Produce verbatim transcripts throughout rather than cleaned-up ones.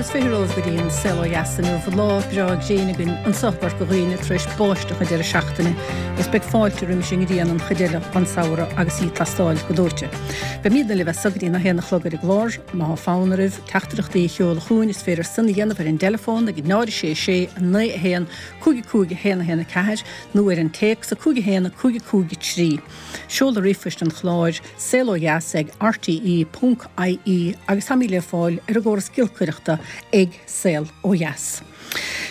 is fiche romhaibh go dtí an Saol Ó Dheas inniu. Lá breá gréine againn anseo i gCorca Dhuibhne tar éis báisteach an deireadh seachtaine is beidh fáilte roimis an ngrian an chuid eile den samhradh agus í ag teastáil go dóite. Beimidne libh as seo go dtí a haon a chlog ar an gclár, má tá fonn oraibh teachtaireachtaí a sheoladh chugainn is féidir sin a dhéanamh ar an dteileafón ag náid sé sé naoi a haon cúig cúig a haon a haon a ceathair nó ar an téacs a cúig a haon a cúig cúig trí. Seoladh ríomhphoist an chláir saol ó dheas ag R T E ponc I E agus táimid le fáil ar an gcóras giolcaireachta ag Saol Ó Dheas.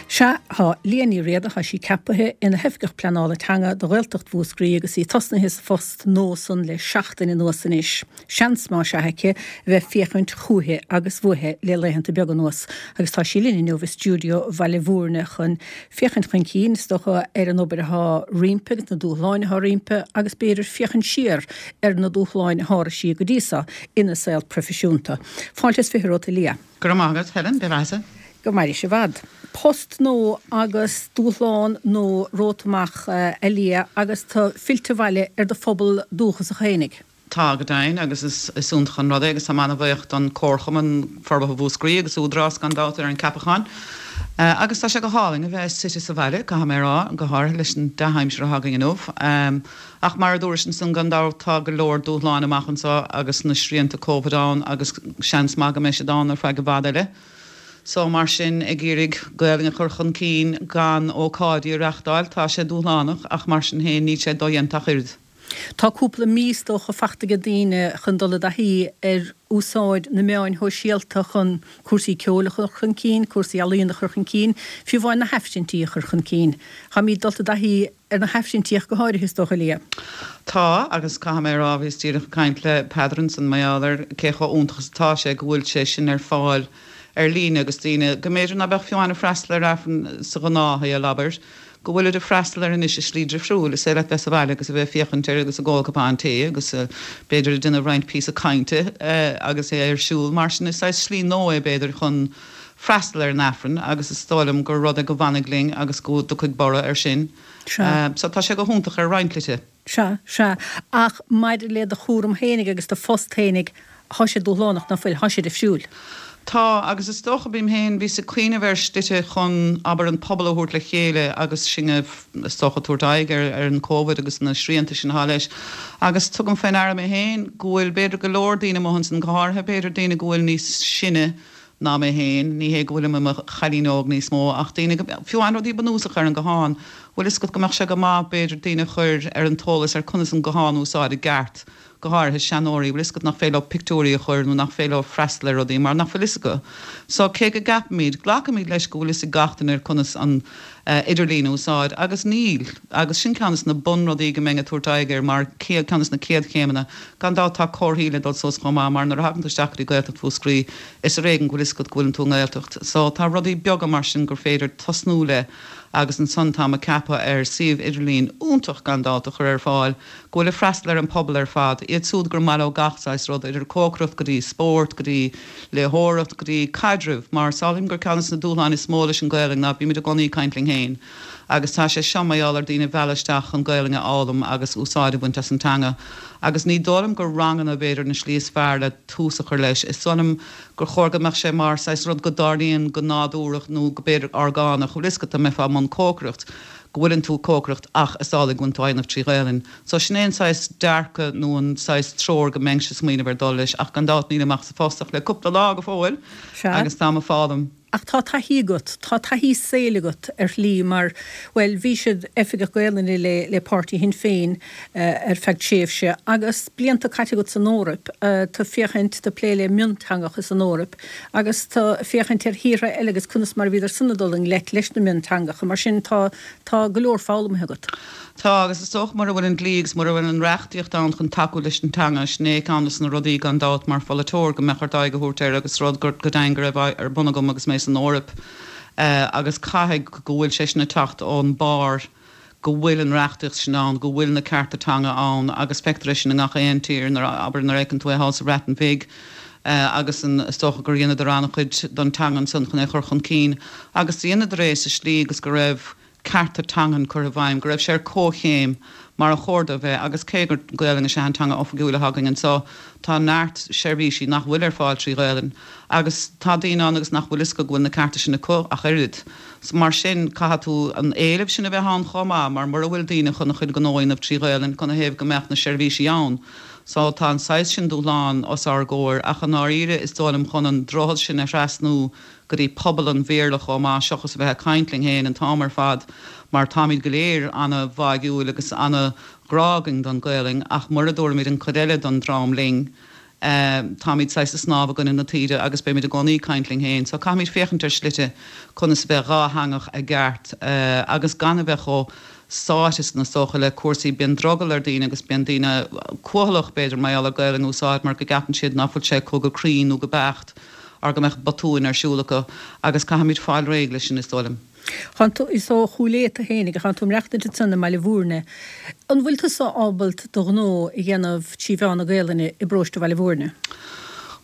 Sea, tá Liadh Ní Riada, tá sí ceaptha ina hOifigeach Pleanála Teanga do Ghaeltacht Mhúscraí agus í tosnaithe sa phost nua san le seachtain anuas anois. Seans má sea aici bheith féachaint chúiche agus bhuaithe le laethanta beaga anuas, agus tá sí linn inniu i stiúideo Bhaile Mhúirne chun féachaint chun cinn is dócha ar an obair atá roimpi agus na dúshláin atá roimpi agus b'fhéidir féachaint siar ar na dúshláin a sháraigh sí go dtí seo ina saol proifisiúnta. Fáilte is fiche romhat, a Liadh. Go raibh maith agat, Helen, be Go mairí sé bhad. Post nua agus dúshlán nua romhat amach, a Liadh, agus tú fillte abhaile ar do phobal dúchasach fhéinig. Tá, go deimhin, agus is is iontach an rud é agus tá mé an-bhuíoch don Chomharchumann Forbartha Mhúscraí agus Údarás gan dabht ar an ceapachán. Uh, agus tá sé go hálainn a bheith suite sa bhaile, caithfidh mé rá, go háirithe leis an dea-aimsir atá againn inniu. Um, ach mar a dúirt ansan, gan dabht tá go leor dúshlán amach anseo agus na srianta Covid ann agus seans maith go mbeidh siad ann ar feadh i bhfad eile. So mar sin ag iarraidh Gaeilge a chur chun cinn gan ócáidí a reáchtáil, tá sé dúshlánach, ach mar sin féin níl sé dodhéanta ach oiread. Tá cúpla mí is dócha fachta ag daoine chun dul i dtaithí ar úsáid na meáin shóisialta chun cúrsaí ceoil a chur chun cinn, cúrsaí ealaíon a chur chun cinn, fiú amháin na haifrinntí a chur chun cinn. Táimid dulta i dtaithí ar na haifrinntí go háirithe, is dócha, Liadh. Tá, agus caithfidh mé rá, bhíos díreach ag caint le Peadar ansan mar gheall ar cé chomh iontach is atá sé go bhfuil sé sin ar fáil ar líne agus daoine go mb'fhéidir ná beadh fiú ag freastal ar Aifreann sa ghnáthshaol, abair, go bhfuil ag freastal air anois i slí difriúil, is é le bheith sa bhaile agus a bheith féachaint air agus ag ól cupán tae agus uh, b'fhéidir ag déanamh roinnt píosa cainte uh, agus é ar siúl. Mar sin is slí nua é b'fhéidir chun freastal ar an Aifreann agus is dóigh liom gur rud é go bhfanfaidh linn agus go dtiocfaidh borradh air sin. Uh, so tá sé go hiontach ar roinnt slite. Sea, sea, ach maidir le do chúram fhéinig agus do phost fhéinig, tá sé dúshlánach, ná fuil? Tá sé difriúil. Tá, agus is dócha bím féin bhí ag cuimhneamh ar shlite chun, abair, an pobal a thabhairt le chéile agus sin is dócha tabhairt aghaidh ar ar an Covid agus na srianta sin atá leis. Agus tugaim faoi deara mé féin go bhfuil b'fhéidir go leor daoine amuigh ansin, go háirithe b'fhéidir daoine go bhfuil níos sine ná mé féin, ní hé go bhfuil mé chailín óg níos mó, ach daoine fiú an rudaí bunúsach ar an guthán. Bhfuil fhios agat go mbeadh sé go maith b'fhéidir daoine chur ar an eolas ar conas an guthán úsáid i gceart, go háirithe seanóirí, bhfuil fhios agat, nach féidir leo pictiúirí a chur nó nach féidir leo freastal ar rudaí mar nach bhfuil fhios acu. So cé go gceapaimid, glacaimid leis go bhfuil fhios ag gach duine ar conas an uh, idirlíon úsáid, agus níl, agus sin ceann de na bunrudaí go mbeinn ag tabhairt aghaidh air mar ceann de na chéad chéimeanna. Gan dabht tá comharthaí le dul suas chomh maith, mar nuair a thagann tú isteach go dtí Gaeltacht Mhúscraí is ar éigean go bhfuil fhios agat go bhfuil tú i nGaeltacht. So tá rudaí beaga mar sin gur féidir tosnú le agus ansan tá ceaptha ar suíomh idirlín iontach gan dabht a chur ar fáil, go bhfuil ag freastal ar an pobal ar fad, iad siúd gur maith leo gach saghas rud, idir cócaireacht go dtí spórt go dtí léitheoireacht go dtí caidreamh, mar samhlaím gur ceann de na dúshláin is mó leis an Gaeilge ná bímid i gcónaí ag caint linn féin. Agus tá sé seo mar gheall ar daoine bheala isteach an Gaeilge a fhoghlaim agus úsáid a bhaint as an teanga. Agus ní dóigh liom gur ranganna b'fhéidir na slí is fearr le tús a chur leis. Is dóigh liom gur chóir go mbeadh sé mar saghas rud go dtarlaíonn go nádúrach nó go b'fhéidir orgánach, bhfuil fhios agat, go mbeifeá i mbun cócaireacht, go bhfuileann tú cócaireacht ach is amhlaidh go bhfuil tú á dhéanamh trí Ghaelainn. So sin é an saghas dearcadh nó an saghas treoir go mbeinn ag smaoineamh ar dul leis, ach gan dabht nílim ach sa phost ach le cúpla lá go fóill agus tá mé ag foghlaim. Ach tá taithí agat, tá taithí saoil agat ar shlí mar, well, bhí siad oifigeach Gaelainne le le páirtí Shinn Féin uh, ar feadh tréimhse agus blianta caite agat san Eoraip, uh, tá féachaint tá plé le mionteangacha san Eoraip agus tá féachaint ar thíortha eile agus conas mar bhíodar san dul i ngleic leis na mionteangacha, mar sin tá tá go leor foghlamtha agat. Tá, agus is dócha mura bhfuil an dlí agus mura bhfuil an reachtaíocht ann chun tacú leis an teanga, sin é ceann de na rudaí gan dabht mar pholaiteoir go mbeadh ort aghaidh a thabhairt air agus rud go deimhin go raibh ar bun agam agus mé san Eoraip, uh, agus caithfidh go bhfuil sé sin ag teacht ón barr, go bhfuil an reachtaíocht sin ann, go bhfuil na cearta teanga ann, agus feictear sin i ngach aon tír nuair, abair, nuair a fheiceann tú é thall sa Bhreatain Bheag. Uh, agus an is dócha gur dheineadar an-chuid don teanga ansan chun é chur chun cinn agus dheineadar é sa slí agus go raibh cearta teangan curtha i bhfeidhm, go raibh sé ar comhchéim mar a chóir dó bheith agus cé gur Gaelainn is ea an teanga oifigiúil atá againn anseo, tá neart seirbhísí nach bhfuil ar fáil trí Ghaelainn agus tá daoine ann agus nach bhfuil fhios acu go bhfuil na cearta sin acu ach oiread. So mar sin caithfidh tú an éileamh sin a bheith ann chomh maith mar mura bhfuil daoine chun a chuid gnó a dhéanamh trí Ghaelainn, canathaobh go mbeadh na seirbhísí ann? So tá an saghas sin dúshlán os ár gcomhair ach i ndáiríre is dóigh liom chun an droichead sin a thrasnú go dtí pobal an Bhéarla chomh maith seachas a bheith ag caint linn féin an t-am ar fad mar táimid go léir ana-bháúil agus ana-ghrá againn don Ghaelainn ach mura dtabharfaimid an chuid eile don dream linn táimid saghas ag snámh i gcoinne na taoide agus beimid i gcónaí ag caint linn féin. So caithfimid féachaint ar shlite conas a bheith dhátheangach i gceart agus gan a bheith chomh sáite san is dócha le cúrsaí bíonn drogall ar daoine agus bíonn daoine cúthalach b'fhéidir mar gheall ar Gaelainn a úsáid mar go gceapann siad ná fuil sé acu go cruinn nó go beacht or go mbeadh botúin ar siúl acu agus caithfimid fáil réidh leis sin is dóigh liom. Tánn tú, is ó Chúil Aodha tú fhéinig, ach tánn tú ag maireachtaint ansan i mBaile Bhúirne. An bhfuil tusa ábalt do ghnó a dhéanamh trí mheán na Gaelainne i bparóiste Bhaile Bhúirne?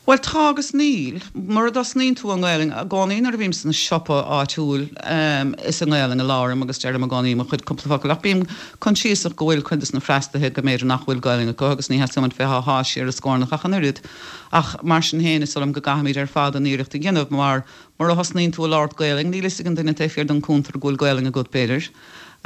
Bhuel tá agus níl. Mura dtosnaíonn tú i nGaelainn, i gcónaí nuair a bhím sna siopa áitiúil is i nGaelainn a labhraím agus deirim i gcónaí mo chuid cúpla focal ach bím coinsiasach go bhfuil cuid de na freastalaithe go mb'fhéidir nach bhfuil Gaelainn acu agus ní theastaíonn uaim bheith á shá siar a scornach ach an oiread. Ach mar sin féin is dóigh liom go gcaithfimid ar fad an iarracht a dhéanamh mar mura thosnaíonn tú ag labhairt Gaelainn níl fhios ag an duine taobh thiar den cuntar go bhfuil Gaelainn agat b'fhéidir.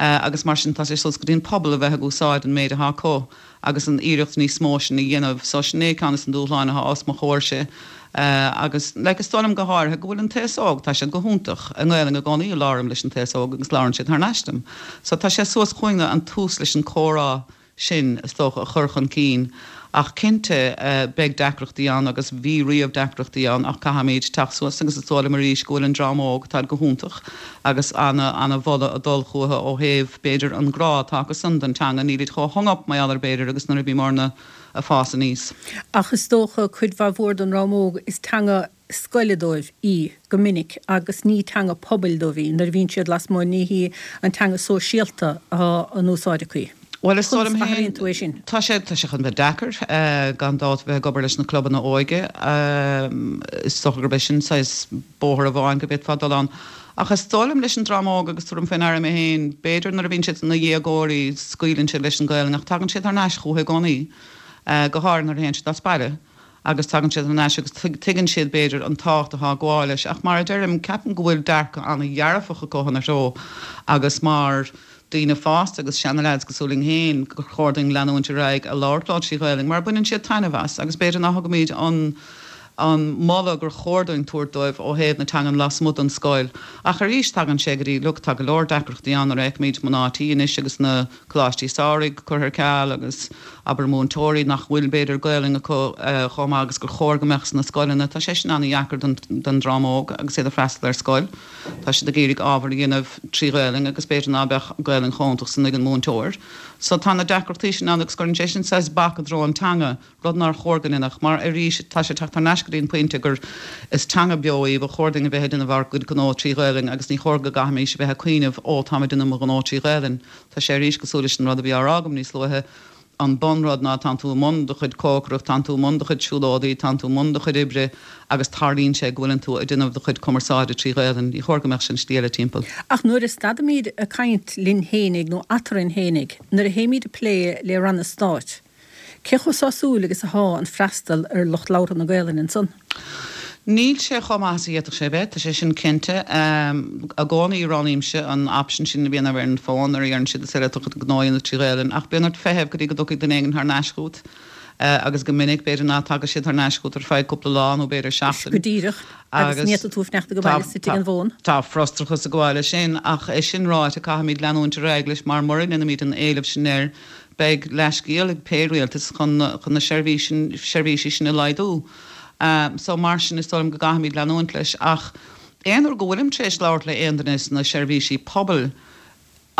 Agus mar sin tá sé suas go dtí an pobal a bheith ag úsáid an méid atá acu agus an iarracht níos mó sin a dhéanamh. So sin é ceann des na dúshláin atá os mo chomhairse. Agus like is dóigh liom go háirithe go bhfuil an t-aos óg, tá siad go hiontach. I nGaelainn i gcónaí a labhraím leis an t-aos óg agus labhrann siad thar n-ais dom. So tá sé suas chugainne an tús leis an comhrá sin, is dócha, a chur chun cinn. Ach cinnte, beidh deacrachtaí ann agus bhí riamh deacrachtaí ann ach caithfimid teacht suas agus is dóigh liom arís go bhfuil an dream óg, táid go hiontach agus ana, ana-mholadh ag dul chucu ó thaobh, b'fhéidir, an grá atá acusan don teanga, nílid chomh hung up mar gheall air b'fhéidir agus nuair a bhíomarna ag fás aníos. Ach is dócha, cuid mhaith mhór den dream óg, is teanga scoile dóibh í go minic agus ní teanga pobail dóibh í nuair a bhíonn siad lasmuigh, ní hí an teanga sóisialta atá in úsáid acu. Bhuel, is dóigh Conas liom a athraíonn féin, tú é sin? tá sé, tá sé chun bheith deacair, gan dabht, bheith ag obair leis na clubanna óige. Is dócha gurb é sin saghas bóthar amháin go bhféadfá dul ann. Ach is dóigh liom leis an dream óg, agus tuairim faoi ndeara mé féin, b'fhéidir nuair a bhíonn siad ina dhéagóirí scaoileann siad leis an Ghaelainn ach tagann siad thar n-ais chúthu i gcónaí, go háirithe nuair a théann siad as baile agus tagann siad thar n-ais agus tuigeann siad b'fhéidir an tábhacht atá ag gabháil leis. Ach mar a deirim, ceapaim go bhfuil dearcadh an-dhearfach acu ina threo agus mar daoine fásta agus seana-leaids cosúil linn féin gur chóir dúinn leanúint ar aghaidh a labhairt leo trí Ghaelainn mar baineann siad taitneamh as agus b'fhéidir ná thugaimid an an moladh gur chóir dúinn tabhairt dóibh ó thaobh na teangan lasmuigh den scoil. Ach arís tagann sé go dtí, look, tá go leor deacrachtaí ann nuair a fheicimid mná tí anois agus na coláistí samhraidh curtha ar ceal agus abair múinteoirí nach bhfuil b'fhéidir Gaelainn acu chomh maith agus gur chóir go mbeadh sna scoileanna. Tá sé sin an-dheacair don don dream óg agus iad ag freastal ar scoil. Tá siad ag iarraidh ábhar a dhéanamh trí Ghaelainn agus b'fhéidir ná beadh Gaelainn chomh hiontach san ag an múinteoir. So tá na deacrachtaí sin ann agus cuireann sé sin saghas bac i dtreo an teanga, rud nár chóir go ndéanfadh, mar arís tá sé ag teacht thar n-ais go dtí an pointe gur is teanga beo í, ba chóir dúinn a bheith ag déanamh ár gcuid gnó trí Ghaelainn agus ní chóir go gcaithfimís a bheith ag cuimhneamh ó táim ag déanamh mo ghnó trí Ghaelainn. Tá sé arís cosúil leis an rud a bhí á rá agam níos luaithe, An bunrud ná tánn tú i mbun do chuid cócaireacht, tánn tú i mbun do chuid siúlóidí, tánn tú i mbun do chuid oibre agus tarlaíonn sé go bhfuileann tú ag déanamh do chuid cumarsáide trí Ghaelainn. Ní chóir go mbeadh sin slí eile timpeall. Ach nuair a stadaimíd ag caint linn fhéinig nó eatarinn fhéinig, nuair a théimíd ag plé le ranna stáit, cé chomh sásúil agus athá an freastal ar lucht labhartha na Gaelainne ansan? Níl sé chomh maith is a d'fhéadfadh sé a bheith, tá sé sin cinnte. I gcónaí roghnaímse an option sin a bhíonn ar an bhfón nuair a dheireann siad is féidir leat do chuid gnó a dhéanamh trí Ghaelainn ach bíonn ort feitheamh go dtí go dtiocfaidh duine éigin thar n-ais chugat agus go minic b'fhéidir ná tagadh siad thar n-ais chugat ar feadh cúpla lá nó b'fhéidir seachtain. Go díreach, agus ní fhéadfaidh tú fanacht ag tá baile sa tigh an bhfón. Tá frustrachas ag gabháil leis sin ach é sin ráite caithfimid leanúint ar aghaidh leis mar mura ndéanaimid an éileamh sin air beidh leithscéal ag pé rialtas chun chun na seirbhísí sin a laghdú. So mar sin is dóigh liom go gcaithfimid leanúint leis. Ach aon uair go bhfuilim tar éis labhairt le aon duine sna seirbhísí pobail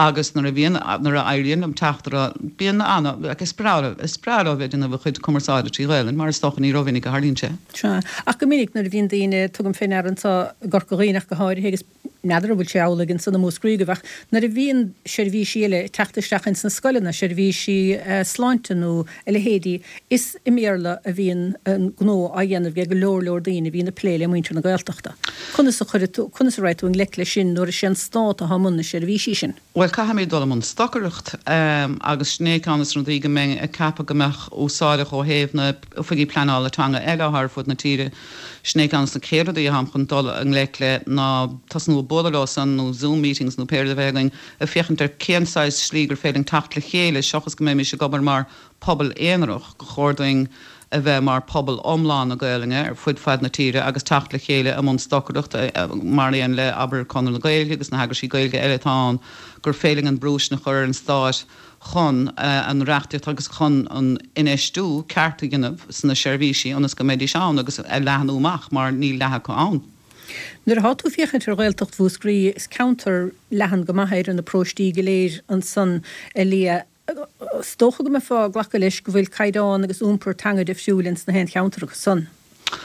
agus nuair a bhíonn, nuair a éiríonn liom teacht orthu, bíonn ana, like is breá leo, is breá leo a bheith ag déanamh a chuid cumarsáide trí Ghaelainn mar is dócha ní rómhinic a tharlaíonn sé. Sea. Ach go minic nuair a bhíonn daoine, tugaim fé ndeara anseo i gCorca Dhuibhne ach go háirithe agus N'fheadar an bhfuil sé amhlaidh ansan i Múscraí agaibh ach nuair a bhíonn seirbhísí eile ag teacht isteach ins na scoileanna, seirbhísí sláinte nó a leithéidí, is i mBéarla a bhíonn an gnó á dhéanamh ag go leor leor daoine a bhíonn ag plé le muintir na Gaeltachta. Conas a chuirfidh tú, conas a raghaidh tú i ngleic leis sin nuair is é an Stát atá i mbun na seirbhísí sin? Bhuel, caithfimid dul i mbun stocaireacht agus sin é ceann des na rudaí go mbeinn ag ceapadh go mbeadh úsáideach ó thaobh na oifigí pleanála teanga eile atá ar fud na tíre. Sin é ceann des na chéad rudaí atáim chun dul i ngleic le ná tosnú ag bualadh leo san nó Zoom meetings nó pé rud a bheidh againn ag féachaint ar cén saghas slí gur féidir linn teacht le chéile seachas go mbeimis ag obair mar pobal aonarach, gur chóir dúinn a bheith mar pobal iomlán na Gaelainne ar fud fad na tíre agus teacht le chéile i mbun stocaireacht mar aon le, abair, Conradh na Gaeilge agus na heagraisí Gaeilge eile atá ann, gur féidir linn an brú sin a chur ar an Stát chun an reachtaíocht agus chun an infheistiú ceart a dhéanamh sna seirbhísí ionas go mbeidís ann agus a leathnú amach mar níl leath acu ann. Nuair atá tú ag féachaint ar Ghaeltacht Mhúscraí, is ceantar leathan go maith é idir na paróistí go léir ansan, a Liadh. Is dócha go mbeifeá ag glacadh leis go bhfuil caighdeán agus iompar teanga difriúil ins na haon cheantar acu san.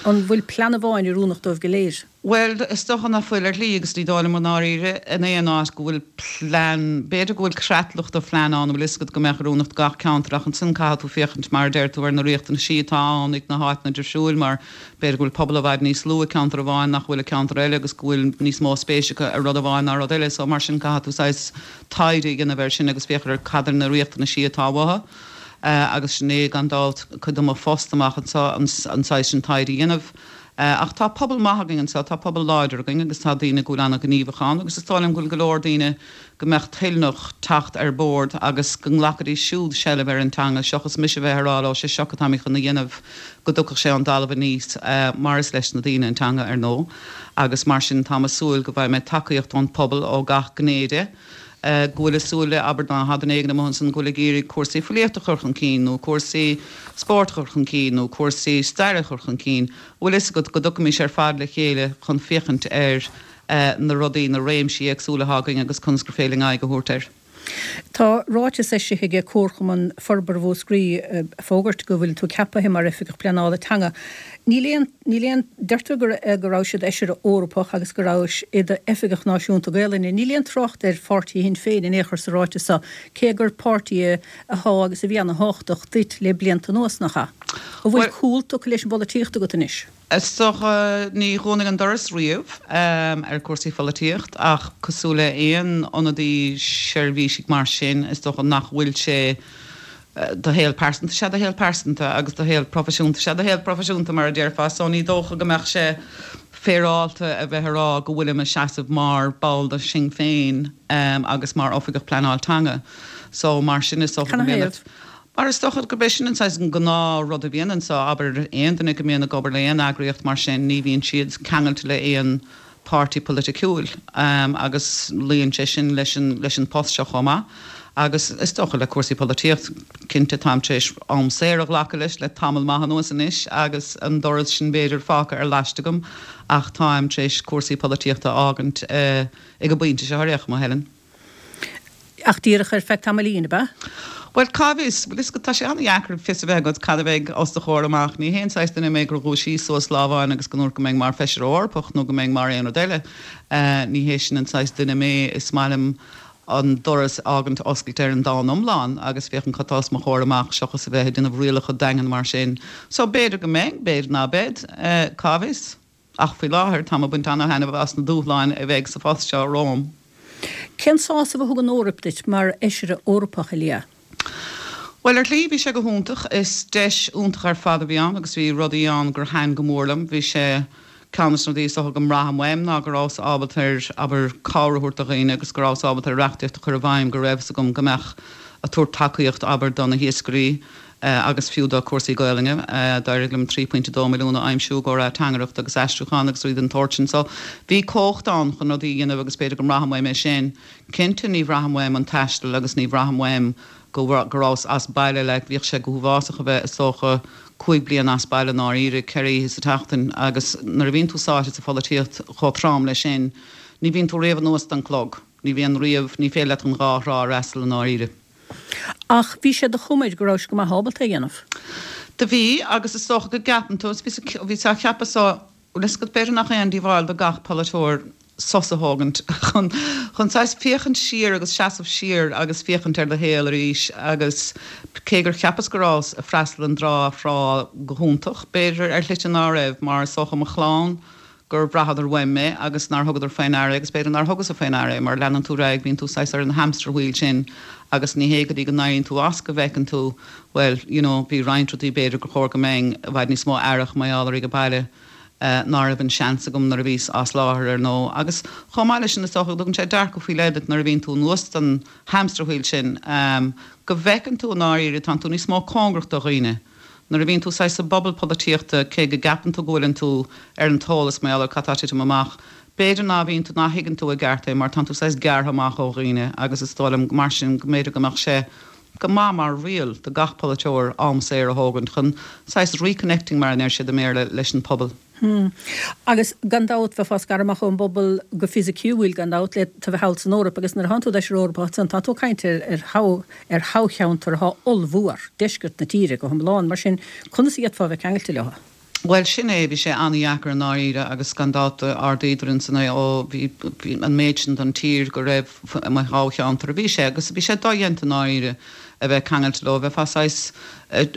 An bhfuil plean amháin oiriúnach dóibh go léir? Bhuel, is dócha nach bhfuil ar shlí agus ní dóigh liom i ndáiríre in aon áit go bhfuil plean, b'fhéidir go bhfuil creatlach de phlean ann, an bhfuil fhios agat, go mbeadh oiriúnach do gach ceantar ach ansin caithfidh tú féachaint mar a deir tú ar na riachtanaisí atá ann ag na háiteanna difriúil mar b'fhéidir go bhfuil pobal i bhfad níos lú i ceantar amháin nach bhfuil i ceantar eile agus go bhfuil níos mó spéis acu i rud amháin ná rud eile so mar sin caithfidh tú saghas taighde a dhéanamh air sin agus féachaint ar cad iad na riachtanaisí atá uathu. Agus sin é, gan dabht, cuid de mo phost amach anseo, an saghas sin taighde a dhéanamh. Ach tá pobal maith againn anseo, tá pobal láidir againn agus tá daoine go bhfuil an-ghníomhach ann agus is dóigh liom go bhfuil go leor daoine go mbeadh toilneach teacht ar bord agus go nglacfaidís siúd seilbh ar an teanga seachas mise a bheith ag rá leo, sé seo atáimid chun a dhéanamh, go dtiocfadh sé ón dtalamh aníos mar is leis na daoine an teanga, ar ndóigh. Agus mar sin táim ag súil go bhfaighidh mé tacaíocht ón pobal ó gach gné de. go bhfuil ag súil le, abair, dá mbeadh duine éigin amuigh ansan go bhfuil ag iarraidh cúrsaí filíochta a chur chun cinn nó cúrsaí spóirt a chur chun cinn nó cúrsaí staire a chur chun cinn, bhfuil fhios agat, go dtiocfaimis ar fad le chéile chun féachaint ar na rudaí, na réimsí éagsúla atá againn agus conas gur féidir linn aghaidh a thabhairt air. Tá ráiteas eisithe ag Comharchumann Forbartha Mhúscraí ag fógairt go bhfuil tú ceapaithe mar Oifigeach Pleanála Teanga. Níl aon, níl aon, deirtear go, go rabhais i d'Fheisire Eorpach agus go rabhais i d'Oifigeach Náisiúnta Gaelainne. Níl aon trácht ar pháirtí Shinn Féin in aon chor sa ráiteas seo, cé gur páirtí é athá agus a bhí ana-thábhachtach duit le blianta anuas, nach ea? An bhfuil cúl tugtha leis an bpolaitíocht agat anois? Is dócha, ní dhúnfainn an doras riamh ar cúrsaí pholaitíocht ach cosúil le aon ionadaí seirbhísigh mar sin, is dócha nach bhfuil sé, do shaol pearsanta, is ea do shaol pearsanta agus do shaol proifisiúnta, is ea do shaol proifisiúnta mar a déarfá, so ní dócha go mbeadh sé féaráilte a bheith a rá go bhfuilim ag seasamh mar ball de Shinn Féin agus mar Oifigeach Pleanáil Teanga. So mar sin is dócha go mbíonn mar is dócha gurb é sin an saghas an gnáth rud a bhíonn anso, abair aon duine go mbíonn ag obair le aon eagraíocht mar sin ní bhíonn siad ceangailte le aon páirtí polaiticiúil agus luíonn sé sin leis an leis an post seo chomh maith. Agus is dócha le cúrsaí polaitíocht, cinnte táim tar éis am saor a ghlacadh leis le tamall maith anuas anois agus an doras sin b'fhéidir fágtha ar laiste agam ach táim tar éis cúrsaí polaitíochta a fhágaint ag an bpointe seo ar aon chuma, Helen. Ach díreach ar feadh tamaillín, ab ea? Bhuel, cá bhfios? Bhuel, is tá sé an-dheacair fios a bheith agat cad a bheidh os do chomhair amach. Ní haon saghas duine mé gur dhúisíos suas lá amháin agus go ndúirt go mbeinn mar Feisire Eorpach nó go mbeinn mar aon rud eile. Ní hé sin an saghas duine mé. Is maith liom an doras a fhágaint oscailte ar an domhan iomlán agus féachaint cad tá os mo chomhair amach seachas a bheith ag déanamh rialacha daingean mar sin. So b'fhéidir go mbeidh, b'fhéidir ná beidh, cá bhfios? Ach faoi láthair táim ag baint ana-thaitneamh as na dúshláin a bheidh sa phost seo romham. Cén sásamh a thug an Eoraip duit mar Fheisire Eorpach, a Liadh? Bhuel, ar shlí, bhí sé go hiontach. Is deis iontach ar fad a bhí ann agus bhí rudaí ann gur thaitin go mór liom. Bhí sé, ceann de na rudaí is dócha go mbraithim uaim ná go rabhas ábalta ar, abair, cabhair a thabhairt do dhaoine agus go rabhas ábalta ar reachtaíocht a chur i bhfeidhm go raibh fhios agam go mbeadh ag tabhairt tacaíocht, abair, do na hiascairí agus fiú do cúrsaí Gaolainne. D'éirigh liom trí phointe dó milliún a aimsiú i gcomhair ateangaireacht agus aistriúchán agus rudaí den tsórt sin. So, bhí cumhacht ann chun rudaí a dhéanamh agus b'fhéidir go mbraithim uaim é sin. Cinnte ní bhraithim uaim an taisteal agus ní bhraithim uaim go go rabhas as baile, like, bhíodh sé go huafásach a bheith, is dócha, cúig bliana as baile i ndáiríre, ceithre oíche sa tseachtain agus nuair a bhíonn tú sáite sa pholaitíocht chomh trom leis sin, ní bhíonn tú riamh anuas don chlog, ní bhíonn riamh, ní féidir leat an dhá thrá a fhreastal i ndáiríre. Ach bhí sé de chuma air go rabhais go maith ábalta é a dhéanamh. Do bhí, agus is dócha go gceapann tú, bhíos á cheapadh so, bhfuil fhios agat, b'fhéidir nach aon díobháil do gach polaiteoir sos a thógaint chun chun saghas féachaint siar agus seasamh siar agus féachaint ar do shaol arís agus cé gur cheapas go rabhas ag freastal an dá thrá go hiontach, b'fhéidir ar shlite ná raibh mar is dócha mo chlann gur bhraitheadar uaim mé agus nár thugadar faoi ndeara agus b'fhéidir nár thugas-sa faoi ndeara é mar leanann tú ar aghaidh, bíonn tú saghas ar an hamster wheel sin agus ní hé go dtí go n-éiríonn tú as go bhfeiceann tú bhuel you know bhí roinnt rudaí b'fhéidir gur chóir go mbeinn i bhfad níos mó aireach mar gheall air ag baile ná raibh an seans agam nuair a bhíos as láthair ar ndóigh. Agus chomh maith leis sin is dócha go dtugann sé dearcadh faoi leith duit nuair a bhíonn tú anuas den hamster wheel sin go bhfeiceann tú i ndáiríre tánn tú níos mó cóngarach do dhaoine nuair a bhíonn tú saghas sa bpobal polaitíochta cé go gceapann tú go bhfuileann tú ar an t-eolas mar gheall ar cad tá ag titim amach b'fhéidir ná bhíonn tú ná thuigeann tú i gceart é mar tánn tú saghas gearrtha amach ó dhaoine agus is dóigh liom mar sin go mb'fhéidir go mbeadh sé go maith mar riail do gach polaiteoir am saor a thógaint chun saghas reconnecting mar a deir siad i mBéarla leis an pobal. Hmm. Agus gan dabht bheifeá scartha amach ón bpobal go fisiciúil gan dabht le tú bheith thall san Eoraip agus nuair a thánn tú d'Fheisire Eorpach ansan tá tú ag caint ar ar ar thoghcheantar atá ollmhór, deisceart na tíre go hiomlán, mar sin conas a d'fhéadfá a bheith ceangailte leo? Bhuel, sin é, bhí sé an-dheacair i ndáiríre agus gan dabht d'ardaíodar ansan é ó bhí an méid sin den tír go raibh i mo thoghcheantar a bhí sé agus bhí sé dodhéanta i ndáiríre a bheith ceangailte leo, bheifeá saghas ag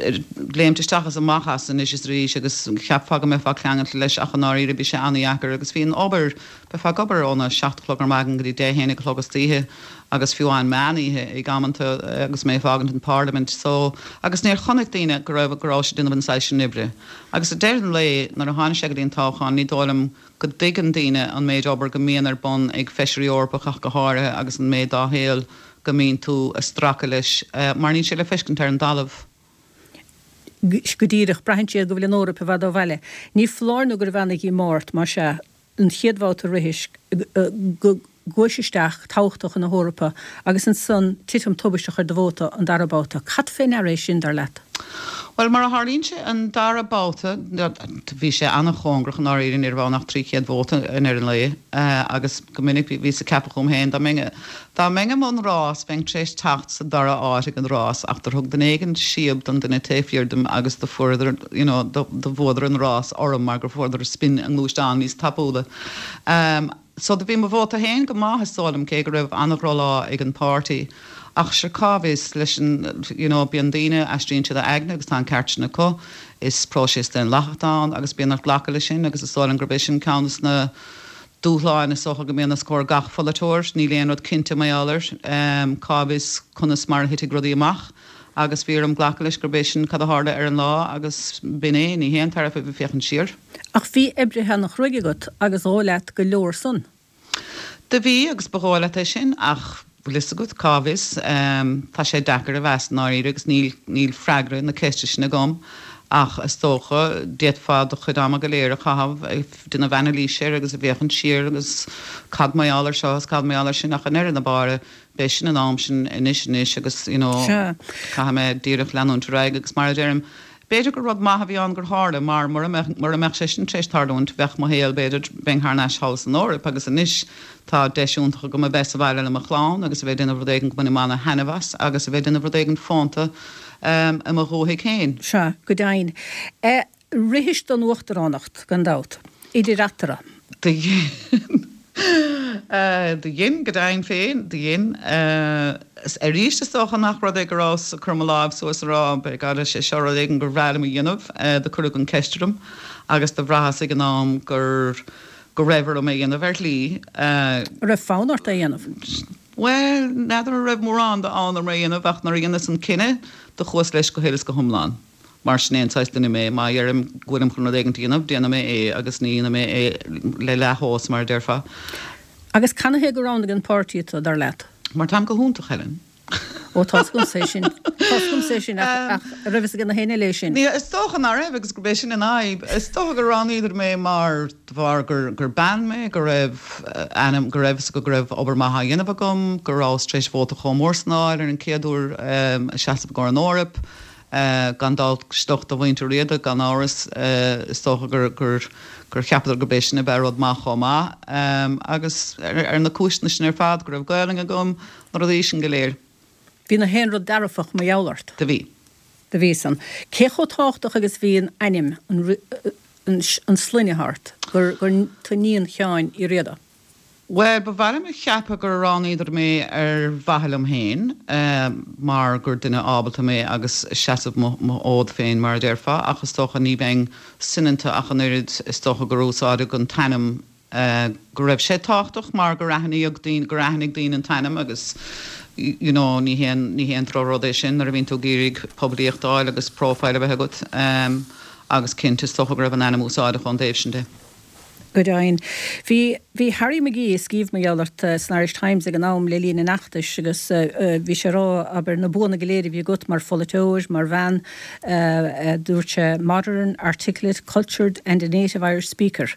léimt isteach is amach as anois is arís agus cheapfá go mbeifeá ceangailte leis ach i ndáiríre bhí sé an-dheacair agus bhí an obair, bheifeá ag obair óna seacht a chlog ar maidin go dtí deich haon a chlog istoíche agus fiú amháin meán oíche ag amanta agus mé ag fágaint an Pharlaimint so agus níor chonaic daoine go raibh go raibh sé ag déanamh an saghas sin oibre. Agus ag deireadh an lae nuair a tháinig sé go dtí an toghchán ní dóigh liom go dtuigeann daoine an méid obair go mbíonn ar bun ag Feisirí Eorpach ach go háirithe agus an méid dá shaol go mbíonn tú ag stracadh leis mar níl sé le feiscint ar an dtalamh. Go díreach, braitheann siad go bhfuil an Eoraip i bhfad ó bhaile. Ní foláir nó gurbh ana-dhíomá ort, más ea, an chéad bhabhta a rithis go gcuais isteach toghadh tú chun na hEorpa agus ansan titim tubaisteach ar do vóta an dara babhta. Cad fé ndeara é sin, dar leat? Bhuel, mar a tharlaíonn sé, an dara babhta, bhí sé an-chóngarach i ndáiríre, ní raibh ann ach trí chéad vóta i ndeireadh an lae agus go minic bhíos ag ceapadh chugam féin, dá mbeinn, dá mbeinn i mbun rás, bheinn tar éis teacht sa dara háit ag an rás ach do thug duine éigin síob don duine taobh thiar dom agus do fuaireadar, you know, do bhuadar an rás orm mar gur fuaireadar spin a ngluaisteáin níos tapúla. So do bhí mo vóta féin go maith is dóigh liom, cé go raibh an-dhrochlá ag an páirtí. Ach sure cá bhfios, leis an, you know, bíonn daoine, aistríonn siad a aigne agus tá an ceart sin acu. Is próiseas daonlathach atá ann agus bíonn ort glacadh leis sin agus is dóigh liom gurb é sin ceann des na dúshláin is dócha go mbíonn os comhair gach pholaiteoir. Níl aon rud cinnte mar gheall air. Cá bhfios conas mar a thitfidh rudaí amach agus bhí orm glacadh leis gurb é sin cad a tharla ar an lá agus b'in é, ní haon tairbhe a bheith ag féachaint siar. Ach bhí oibrithe ana-chruaidh agat agus dhóigh leat go leor san. Do bhí agus ba dhóigh leat é sin ach bhfuil fhios agat, cá bhfios, tá sé deacair a mheas i ndáiríre agus níl, níl freagra na ceiste sin agam ach is dócha, d'fhéadfá do chuid ama go léir a chaitheamh ag déanamh anailíse air agus ag féachaint siar agus cad mar gheall ar seo is cad mar gheall ar sin ach i ndeireadh na báire beidh sin an am sin anois anois agus you know caithfidh mé díreach leanúint ar aghaidh agus mar a deirim b'fhéidir gur rud maith a bhí ann gur tharla mar mura mbeadh mura mbeadh sé sin tar éis tarlúint bheadh mo shaol b'fhéidir bheinn thar n-ais thall san Eoraip agus anois tá deis iontach agam a bheith sa bhaile le mo chlann agus a bheith ag déanamh rud éigin go mbainim ana-thaitneamh as agus a bheith ag déanamh rud éigin fónta i mo dhúthaigh féin. Sea, go deimhin. Rithis don uachtaránacht, gan dabht, idir eatarthu. Do dhein. Do dhein, go deimhin féin, do dhein. Arís, is dócha nach rud é go rabhas ag cur mo láimh suas ag rá, by God, is é seo rud éigin gur bhreá liom a dhéanamh. Do cuireadh an ceist orm agus do bhraitheas ag an am gur, go raibh orm é a dhéanamh ar shlí. An raibh fonn ort é a dhéanamh? Bhuel, n'fheadar an raibh mórán d'fhonn orm é a dhéanamh ach nuair a dheineas an cinneadh, do chuas leis go huile is go hiomlán. Mar sin é an saghas duine mé, má dheirim go bhfuilim chun rud éigin a dhéanamh, déanfaidh mé é agus ní dhéanfaidh mé é le leathshós, mar a déarfá. Agus canathaobh gur roghnaigh an páirtí tú, dar leat? Mar táim go hiontach, Helen. Ó, tá's agamsa é sin. Tá's agamsa é sin, ach an raibh fhios ag na héinne eile é sin? Ní, is dócha nach raibh agus gurb é sin an fhadhb. Is dócha gur roghnaíodar mé mar, de bharr gur, gur bean mé, go raibh ainm, go raibh fhios acu go raibh obair maith á dhéanamh agam, go rabhas tar éis vóta chomh mór san a fháil ar an chéad uair a seasamh i gcomhair an Eoraip. Gan dabht, sliocht de mhuintir Riada, gan amhras, is dócha gur, gur, gur cheapadar gurb é sin a bheadh rud maith chomh maith. Agus ar na cúiseanna sin ar fad, go raibh Gaelainn agam, na rudaí sin go léir. Bhí na haon rud dearfach mar gheall ort. Do bhí. Do bhí san. Cé chomh tábhachtach agus bhí an ainm, an, an sloinne ort, gur, gur tú níon Sheáin Uí Riada? Well, ba mhaith liom a cheapadh gur roghnaíodar mé ar mhaithe liom féin, mar gur duine ábalta mé agus seasamh mo fhód féin mar a déarfá, ach is dócha ní bheinn soineanta ach an oiread, is dócha gur úsáideadh an t-ainm go raibh sé tábhachtach mar gur aithníodh daoine, gur aithnigh daoine an t-ainm agus you know ní haon, ní haon drochrud é sin nuair a bhíonn tú ag iarraidh poiblíocht a fháil agus profile a bheith agat agus cinnte is dócha go raibh an ainm úsáideach ón dtaobh sin de. Go deimhin. Bhí, bhí Harry McGee ag scríobh mar gheall ort san Irish Times ag an am le linn an fheachtais agus bhí sé ag rá, abair, na buanna go léir a bhí agat mar pholaiteoir, mar bhean, dúirt sé, modern, articulate, cultured and a native Irish speaker.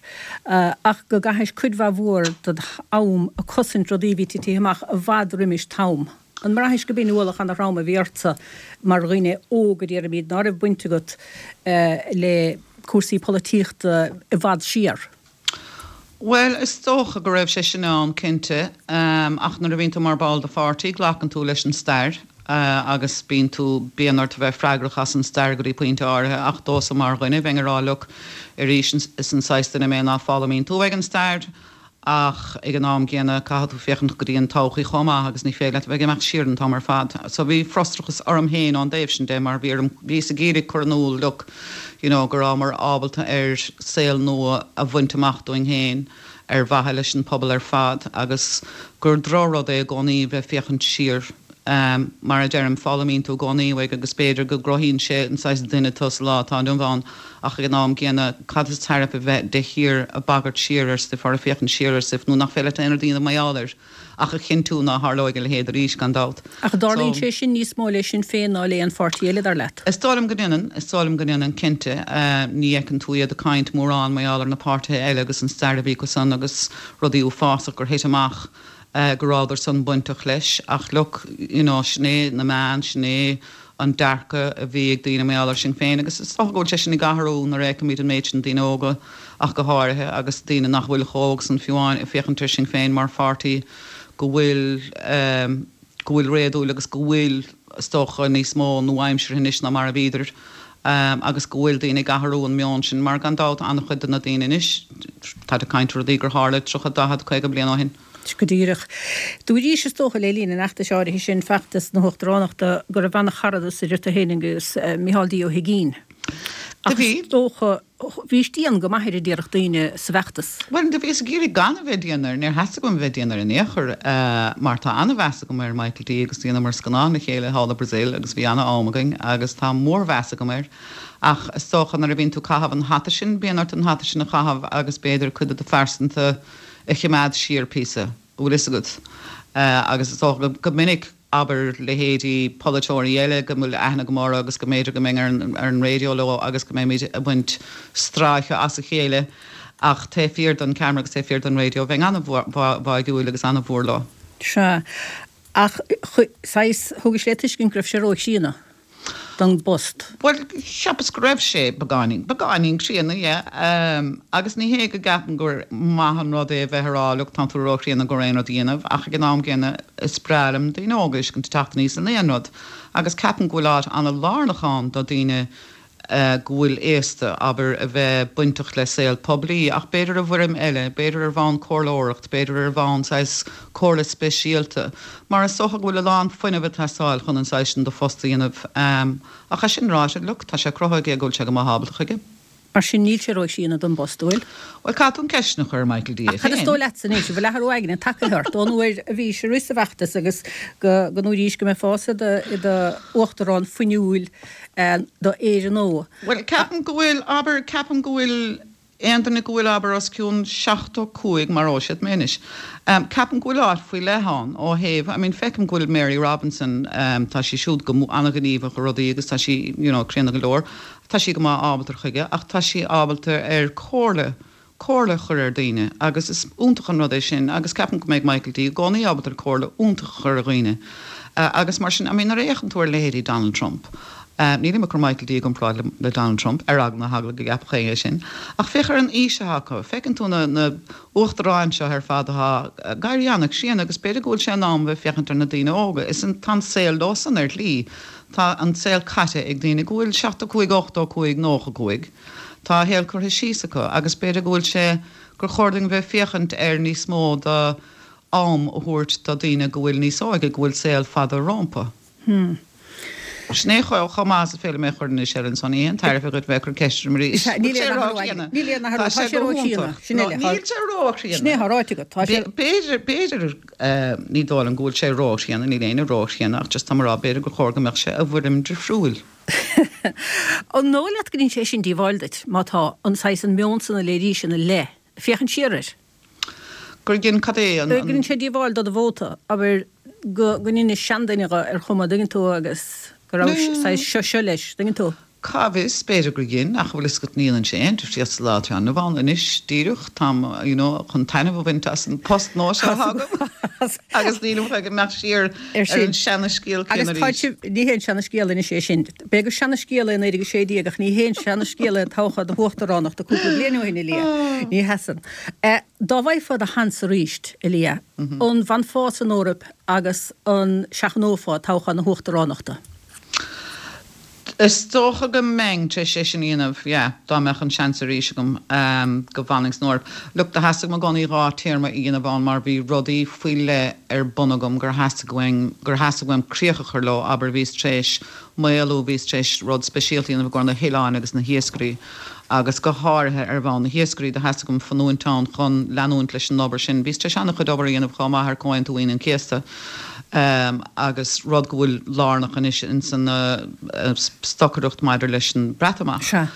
Ach go gcaithis cuid mhaith mhór dod am ag cosaint rudaí a bhí titithe amach i bhfad roimis t'am. An mbraithis go b'in ualach ana-throm a bhí ortsa mar dhuine óg a déarfaimid ná raibh baint agat le cúrsaí polaitíochta i bhfad siar? Bhuel, is dócha go raibh sé sin ann, cinnte, ach nuair a bhíonn tú mar ball de pháirtí, glacann tú leis an stair agus bíonn tú, bíonn ort a bheith freagrach as an stair go dtí pointe áirithe ach domhsa mar dhuine, bheinn ag rá, look, arís, is an saghas duine mé ná foghlaimíonn tú uaidh an stair ach ag an am gcéanna caithfidh tú féachaint go dtí an todhchaí chomh maith agus ní féidir leat a bheith ag imeacht siar an t-am ar fad. So bhí frustrachas orm féin ón dtaobh sin de mar bhí orm, bhíos ag iarraidh cur in iúl, look, you know, go rabhamar ábalta ar saol nua a bhaint amach dúinn féin ar mhaithe leis an pobal ar fad agus gur drochrud é i gcónaí bheith féachaint siar. Mar a deirim, foghlaimíonn tú i gcónaí uaidh agus b'fhéidir go gcruthaíonn sé an saghas duine tú sa lá atá inniu ann ach ag an am gcéanna, cad is tairbhe bheith de shíor ag bagairt siar ar stuif or ag féachaint siar ar stuif nó nach féidir leat aon rud a dhéanamh mar gheall air ach a chinntiú ná tharlóidh a leithéid arís, gan dabht. Ach dtarlaíonn sé sin níos mó le Sinn Féin ná le aon pháirtí eile, dar leat? Is dóigh liom go ndéanann, is dóigh liom go ndéanann, cinnte. Ní fheiceann tú iad ag caint mórán mar gheall ar na páirtithe eile agus an stair a bhí acu san agus rudaí uafásach gur thit amach go rabhadar san bainteach leis ach look, you know, sin é na meáin, sin é an dearcadh a bhí ag daoine mar gheall ar Sinn Féin agus is dócha go bhfuil sé sin ag athrú nuair a fheicimid an méid sin daoine óga ach go háirithe agus daoine nach bhfuil chomh hóg san fiú amháin ag féachaint ar Sinn Féin mar pháirtí go bhfuil go bhfuil réadúil agus go bhfuil is dócha níos mó nua-aimseartha anois ná mar a bhíodar agus go bhfuil daoine ag athrú an meon sin mar gan dabht an-chuid de na daoine anois táid ag caint ar rudaí gur tharla tríocha, daichead, caoga bliain ó shin. Go díreach. Dúraís is dócha le linn an fheachtais áirithe sin, feachtas na huachtaránachta, go raibh an-charadas idir tú féin agus Micheál D. Ó hUigínn. Ach is dócha, bhís dian go maith air a déarfadh daoine sa bhfeachtas. Bhuel, do bhíos ag iarraidh gan a bheith dian air, níor theastaigh uaim a bheith dian air in aon chor, mar tá an-mheas agam ar Michael D. agus dheineamar scannán le chéile thall i Brazil agus bhí an-am againn agus tá mórmheas agam air. Ach is dócha nuair a bhíonn tú ag caitheamh an hata sin, bíonn ort an hata sin a chaitheamh agus b'fhéidir cuid de do phearsanta a choimeád siar píosa, an bhfuil fhios agat. Agus is dócha go minic, abair, leithéidí polaiteoirí eile go bhfuil aithne agam orthu agus go mb'fhéidir go mbeinn ar an ar an raidió leo agus go mbeimid ag baint stráice as a chéile ach taobh thiar den ceamara agus taobh thiar den raidió bheinn an-bháúil agus an-mhór leo. Sea. Ach, saghas, thugais le tuiscint go raibh sé róchríonna. don bpost? Bhuel, cheapas go raibh sé beagáinín, beagáinín críonna, yeah. Agus ní hé go gceapaim gur maith an rud é a bheith ag rá, look, tá tú róchríonna go aon rud a dhéanamh, ach ag an am gcéanna is breá liom daoine óga a fheiscint ag teacht aníos in aon rud. Agus ceapaim go bhfuil áit an-lárnach ann do daoine go bhfuil aosta, abair, a bheith bainteach le saol poiblí, ach b'fhéidir i bhfoirm eile, b'fhéidir ar bhonn comhairleoireacht, b'fhéidir ar bhonn saghas comhairle speisialta, mar is dócha go bhfuil a lán fuinnimh ag teastáil chun an saghas sin de phost a dhéanamh. Ach é sin ráite, look, tá sé cruthaithe aige go bhfuil sé go maith ábalta chuige. Mar sin, níl sé róchríonna don bpost, an bhfuil? Bhuel, caithfidh tú an ceist sin a chur ar Michael D é Ach cad is féin. dóigh leatsa anois, an bhfuil athrú aigne tagtha ort ón uair a bhís ag rith sa bhfeachtas agus go go ndúraís go mbeifeása i do uachtarán fuinniúil do Éire nua? Bhuel, ceapaim go bhfuil, abair, ceapaim go bhfuil aon duine go bhfuil, abair, os cionn seachtó cúig, maróidh siad mé anois, ceapaim go bhfuil áit faoi leith ann ó thaobh, I mean, feicim go bhfuil Mary Robinson, tá sí siúd go an-ghníomhach i rudaí agus tá sí, you know, críonna go leor, tá sí go maith ábalta chuige ach tá sí ábalta ar comhairle, comhairle a chur ar daoine agus is iontach an rud é sin agus ceapaim go mbeidh Michael D i gcónaí ábalta ar comhairle iontach a chur ar dhaoine agus mar sin, I mean, nuair a fhéachann tú ar leithéidí Donald Trump, Nílim ag cur Michael D i gcomparáid le Donald Trump, ar eagla na heagla go gceapfadh éinne é sin, ach féach ar an aois atá acu. Feiceann tú na na uachtaráin seo ar fad atá ag éirí an-chríonna agus b'fhéidir go bhfuil sé in am bheith féachaint ar na daoine óga. Is an tá an saol leosan ar shlí. Tá an saol caite ag daoine go bhfuil seachtó cúig, ochtó cúig, nócha cúig. Tá a shaol curtha síos acu agus b'fhéidir go bhfuil sé gur chóir dúinn bheith féachaint ar níos mó de am a thabhairt do daoine go bhfuil níos óige, go bhfuil saol fada rompu. Hmm. Sin é chomh maith is féidir liom é a chur anois ar an son. Ní haon tairbhe dhuit bheith ag cur ceist orm arís. Níl aon athrú Níl aon athrú. Tá sé róchríonna. Sin eile. Níl sé róchríonna. Sin é atá ráite agat. Tá sé. B'fhéidir, b'fhéidir, ní dóigh liom go bhfuil sé róchríonna, níl éinne róchríonna ach just tá mé ag rá b'fhéidir gur chóir go mbeadh sé i bhfoirm difriúil. An dóigh leat go ndein sé sin díobháil duit, má tá an saghas an meon san a léirís ina leith, féachaint siar air? Gur dhein cad é an. Go ndein sé díobháil do do vóta, abair, go go ndeinis seanduine dhe ar chuma, dtuigeann tú, agus go raibh saghas seo seo leis, dtuigeann tú. Cá bhfios, b'fhéidir gur dhein, ach bhfuil fhios agat ní dhéanann sé aon difríocht sa lá atá inniu ann anois, díreach, táim, you know, chun taitneamh a bhaint as an post nua seo atá agam agus nílim chun imeacht siar ar an seana-scéal céanna arís. Agus tá sibh, ní haon seana-scéal anois é sin. B'fhéidir gur seana-scéal é naoi déag a sé déag ach ní haon seana-scéal é toghchán do huachtaránachta cúpla bliain ó shin, a Liadh. Ní sheasann. Dá bhfaighfeá do sheans arís, a Liadh, an bhfanfá san Eoraip agus an seachnófá toghchán na huachtaránachta? Is dócha go mbeinn tar éis é sin a dhéanamh, yeah, dá mbeadh an seans arís agam go bhfanfainn san Eoraip. Look, do theastaigh uaim i gcónaí dhá téarma a dhéanamh ann mar bhí rudaí faoi leith ar bun agam gur theastaigh uaim, gur theastaigh uaim críoch a chur leo, abair, bhíos tar éis maolú, bhíos tar éis rud speisialta a dhéanamh i gcomhair na hoileáin agus na hiascairí agus go háirithe ar bhonn na hiascairí, do theastaigh uaim fanúint ann chun leanúint leis an obair sin. Bhíos tar éis an-chuid obair a dhéanamh chomh maith ar Comhaontú Aoine an Chéasta agus rud go bhfuil lárnach anois ins an stocaireacht maidir leis an Breatimeacht. Sea.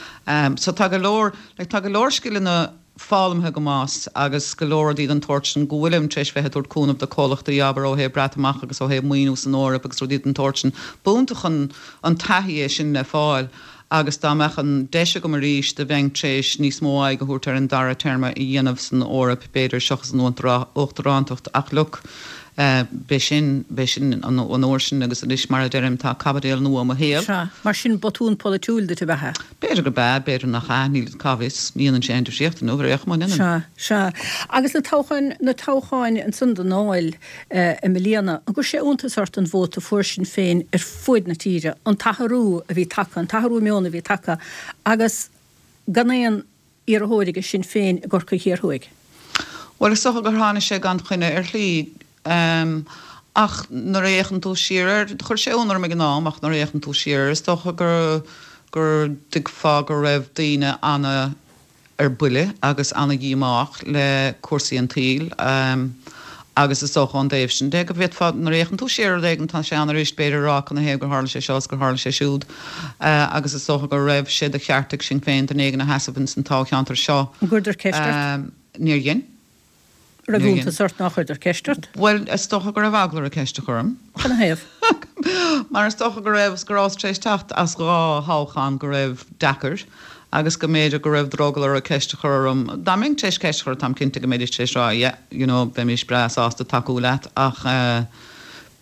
So tá go leor, like tá go leor scileanna foghlamtha agam as agus go leor rudaí den tsórt sin go bhfuilim tar éis bheith ag tabhairt cúnamh do comhlachtaí, abair, ó thaobh Breatimeacht agus ó thaobh maoiniú san Eoraip agus rudaí den tsórt sin. B'iontach an an taithí é sin le fáil agus dá mbeadh an deis agam arís do bheinn tar éis níos mó aghaidh a thabhairt ar an dara téarma a dhéanamh san Eoraip b'fhéidir seachas an uachtarántacht ach look b'é sin, b'é sin an uair sin agus anois mar a deirim tá caibidil nua i mo shaol. Sea, mar sin botún polaitiúil duit ab ea é? B'fhéidir gurb ea, b'fhéidir nach ea, níl, cá bhfios, ní dhéanann sé aon difríocht inniu ar aon chuma, an ndéanann? Sea, sea. Agus na toghcháin, na toghcháin ansan don Dáil i mbliana, an gcuir sé iontas ort an vóta a fuair Sinn Féin ar fuaid na tíre, an t-athrú a bhí tagtha, an t-athrú meoin a bhí tagtha agus gan aon iarrthóir ag Sinn Féin i gCorcaigh Thiar Thuaidh? Bhuel, is dócha gur tháinig sé gan choinne ar shlí. Ach nuair a fhéachann tú siar air, chuir sé ionadh orm ag an am, ach nuair a fhéachann tú siar air, is dócha gur, go dtuigfeá go raibh daoine ana ar buile agus ana dhíomách le cúrsaí an tsaoil agus is dócha ón dtaobh sin de go bhféadfá, nuair a fhéachann tú siar ar rud éigin, tá sé an-fhuirist b'fhéidir a rá canathaobh gur tharla sé seo is gur tharla sé siúd agus is dócha go raibh sé de cheart ag Sinn Féin duine éigin a sheasamh ins an toghcheantar seo. An gcuireadar ceist ort? Níor dhein. Raibh iontas ort nár chuireadar ceist ort? Bhuel, is dócha go raibh eagla orthu ceist a chur orm. Canathaobh? Mar is dócha go raibh, go rabhas tar éis teacht as dhá thoghchán go raibh deacair agus go mb'fhéidir go raibh drogall orthu ceist a chur orm. Dá mbeinn tar éis ceist a chur, táim cinnte go mbeidís tar éis rá yeah, you know, bheimis breá sásta tacú leat ach eh,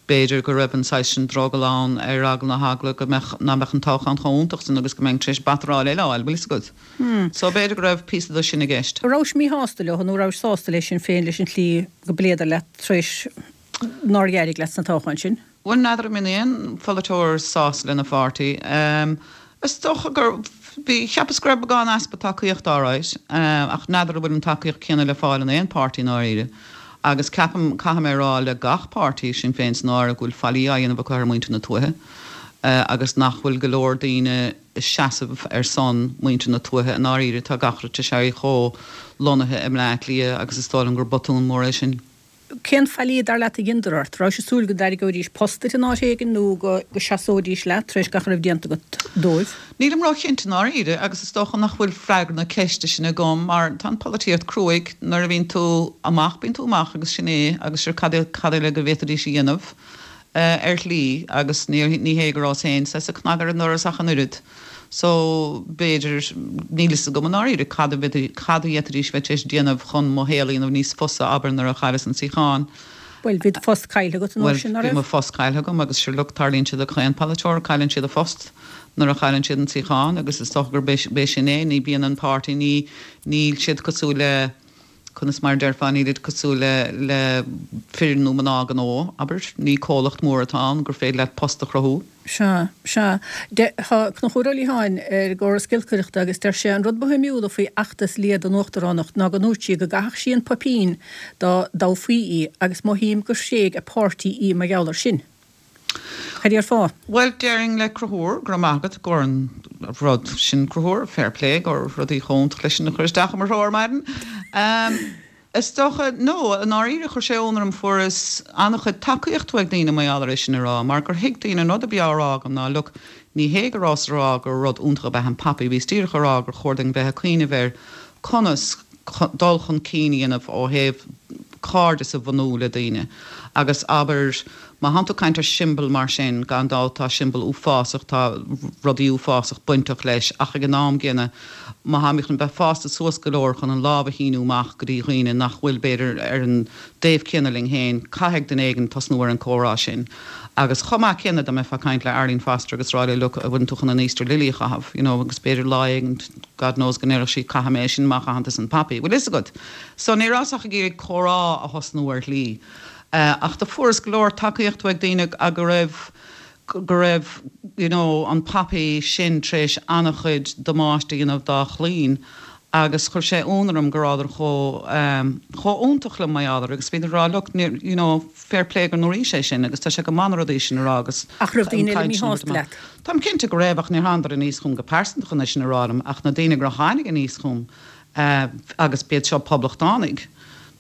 B'fhéidir go raibh an saghas sin drogall ann ar eagla na heagla go mbeadh, nach mbeadh an toghchán chomh iontach sin agus go mbeinn tar éis batráil eile a fháil, bhfuil fhios agat. So b'fhéidir go raibh píosa de sin i gceist. An rabhais míshásta leo nó an rabhais sásta le Sinn Féin leis an tslí go bpléadar leat tar éis nár éirigh leat sna toghcháin sin? Bhuel, n'fheadar an mbíonn aon pholaiteoir sásta lena pháirtí. Is dócha gur, bhí, cheapas go raibh beagán easpa tacaíochta alright, ach n'fheadar an bhfuil an tacaíocht céanna le fáil in aon páirtí i ndáiríre. Agus ceapaim, caithfidh mé a rá le gach páirtí, Sinn Féin san áireamh, go bhfuil faillí á dhéanamh acu ar mhuintir na tuaithe agus nach bhfuil go leor daoine ag seasamh ar son muintir na tuaithe i ndáiríre. Tá gach rud tar éis éirí chomh lonnaithe i mBleá Cliath agus is dóigh liom gur botún mór é sin. Cén faillí, dar leat, a dheineadar ort? Rabhais ag súil go dtairgeoidís post duit in áit éigin nó go seasóidís leat tar éis gach a raibh déanta agat dóibh? Nílim róchinnte i ndáiríre agus is dócha nach bhfuil freagra na ceiste sin agam mar tá an pholaitíocht cruaidh, nuair a bhíonn tú amach bíonn tú amach agus sin é agus sure cad cad eile go bhféadfaidís a dhéanamh ar shlí agus ní ní hé go rabhas féin saghas ag cnagadh ar an ndoras ach an oiread. So, b'fhéidir, níl fhios agam i ndáiríre cad a cad a d'fhéadfaidís bheith tar éis déanamh chun mo shaol a dhéanamh níos fusa, abair, nuair a chailleas an suíochán. Bhuel, bhí do phost caillte agat an uair Bhuel, sin, ná bhí raibh? mo phost caillte agam agus sure look, tarlaíonn sé do chaon polaiteoir, cailleann siad a phost nuair a chailleann siad an suíochán agus is dócha gur b'é sin é, ní bíonn an páirtí, ní, níl siad cosúil le, conas mar déarfá, nílid cosúil le le fir nó mná gnó, abair, ní comhlacht mór atá ann gur féidir leat post a chruthú. Sea, sea. Tá Conchúr Ó Liatháin ar an gcóras giolcaireachta agus deir sé an rud ba shuimiúla faoi fheachtas Lia don uachtaránacht ná go ndúirt sí go gcaithfeadh sí an poipín dá dtoghfaí í agus mothaím gur thréig a páirtí í mar gheall air sin. Cad déarfá? Bhuel, déarfainn le Conchúr, go raibh maith agat gur an rud sin Conchúr, fair play, gur rudaí chomh hiontach leis sin a chur isteach i mo threo ar maidin. Is dócha, no, i ndáiríre chuir sé ionadh orm, fuaireas an-chuid tacaíocht uaidh daoine mar gheall ar é sin a rá, mar gur thuig daoine an rud a bhí á rá agam ná look, ní hé go rabhas a rá gur rud iontach ab ea an poppy, bhíos díreach a rá gur chóir dúinn bheith ag cuimhneamh ar conas dul chun cinn a dhéanamh ó thaobh cairdeas a bhunú le daoine agus abair má thánn tú ag caint ar siombail mar sin, gan dabht tá siombail uafásach, tá rudaí uafásach bainteach leis ach ag an am gcéanna má tháimid chun bheith fásta suas go leor chun an lámh a shíniú amach go dtí dhaoine nach bhfuil b'fhéidir ar an dtaobh céanna linn féin, caithfidh duine éigin tosnú ar an comhrá sin. Agus chomh maith céanna dá mbeifeá ag caint le Arlene Foster agus rá léi look, an bhfuileann tú chun an Easter Lily a chaitheamh, you know, agus b'fhéidir lá éigin, God knows go ndéarfadh sí caithfidh mé é sin má chaitheann tusa an poppy. Bhfuil fhios agat? So ní rabhas ach ag iarraidh comhrá a thosnú ar shlí. Ach do fuaireas go leor tacaíocht uaidh daoine go raibh, go raibh, you know, an poppy sin tar éis an-chuid damáiste a dhéanamh dá chlainn agus chuir sé ionadh orm go rabhadar chomh, chomh iontach liom mar gheall air agus bhíodar ag rá look, níor, you know, fair play go ndúraís é sin agus tá sé go maith na rudaí sin a rá agus Ach raibh daoine eile míshásta leat? Táim cinnte go raibh ach níor thánadar aníos chugam go pearsanta chun é sin a rá liom ach na daoine gur tháinig aníos chugam agus b'iad seo poblachtánaigh,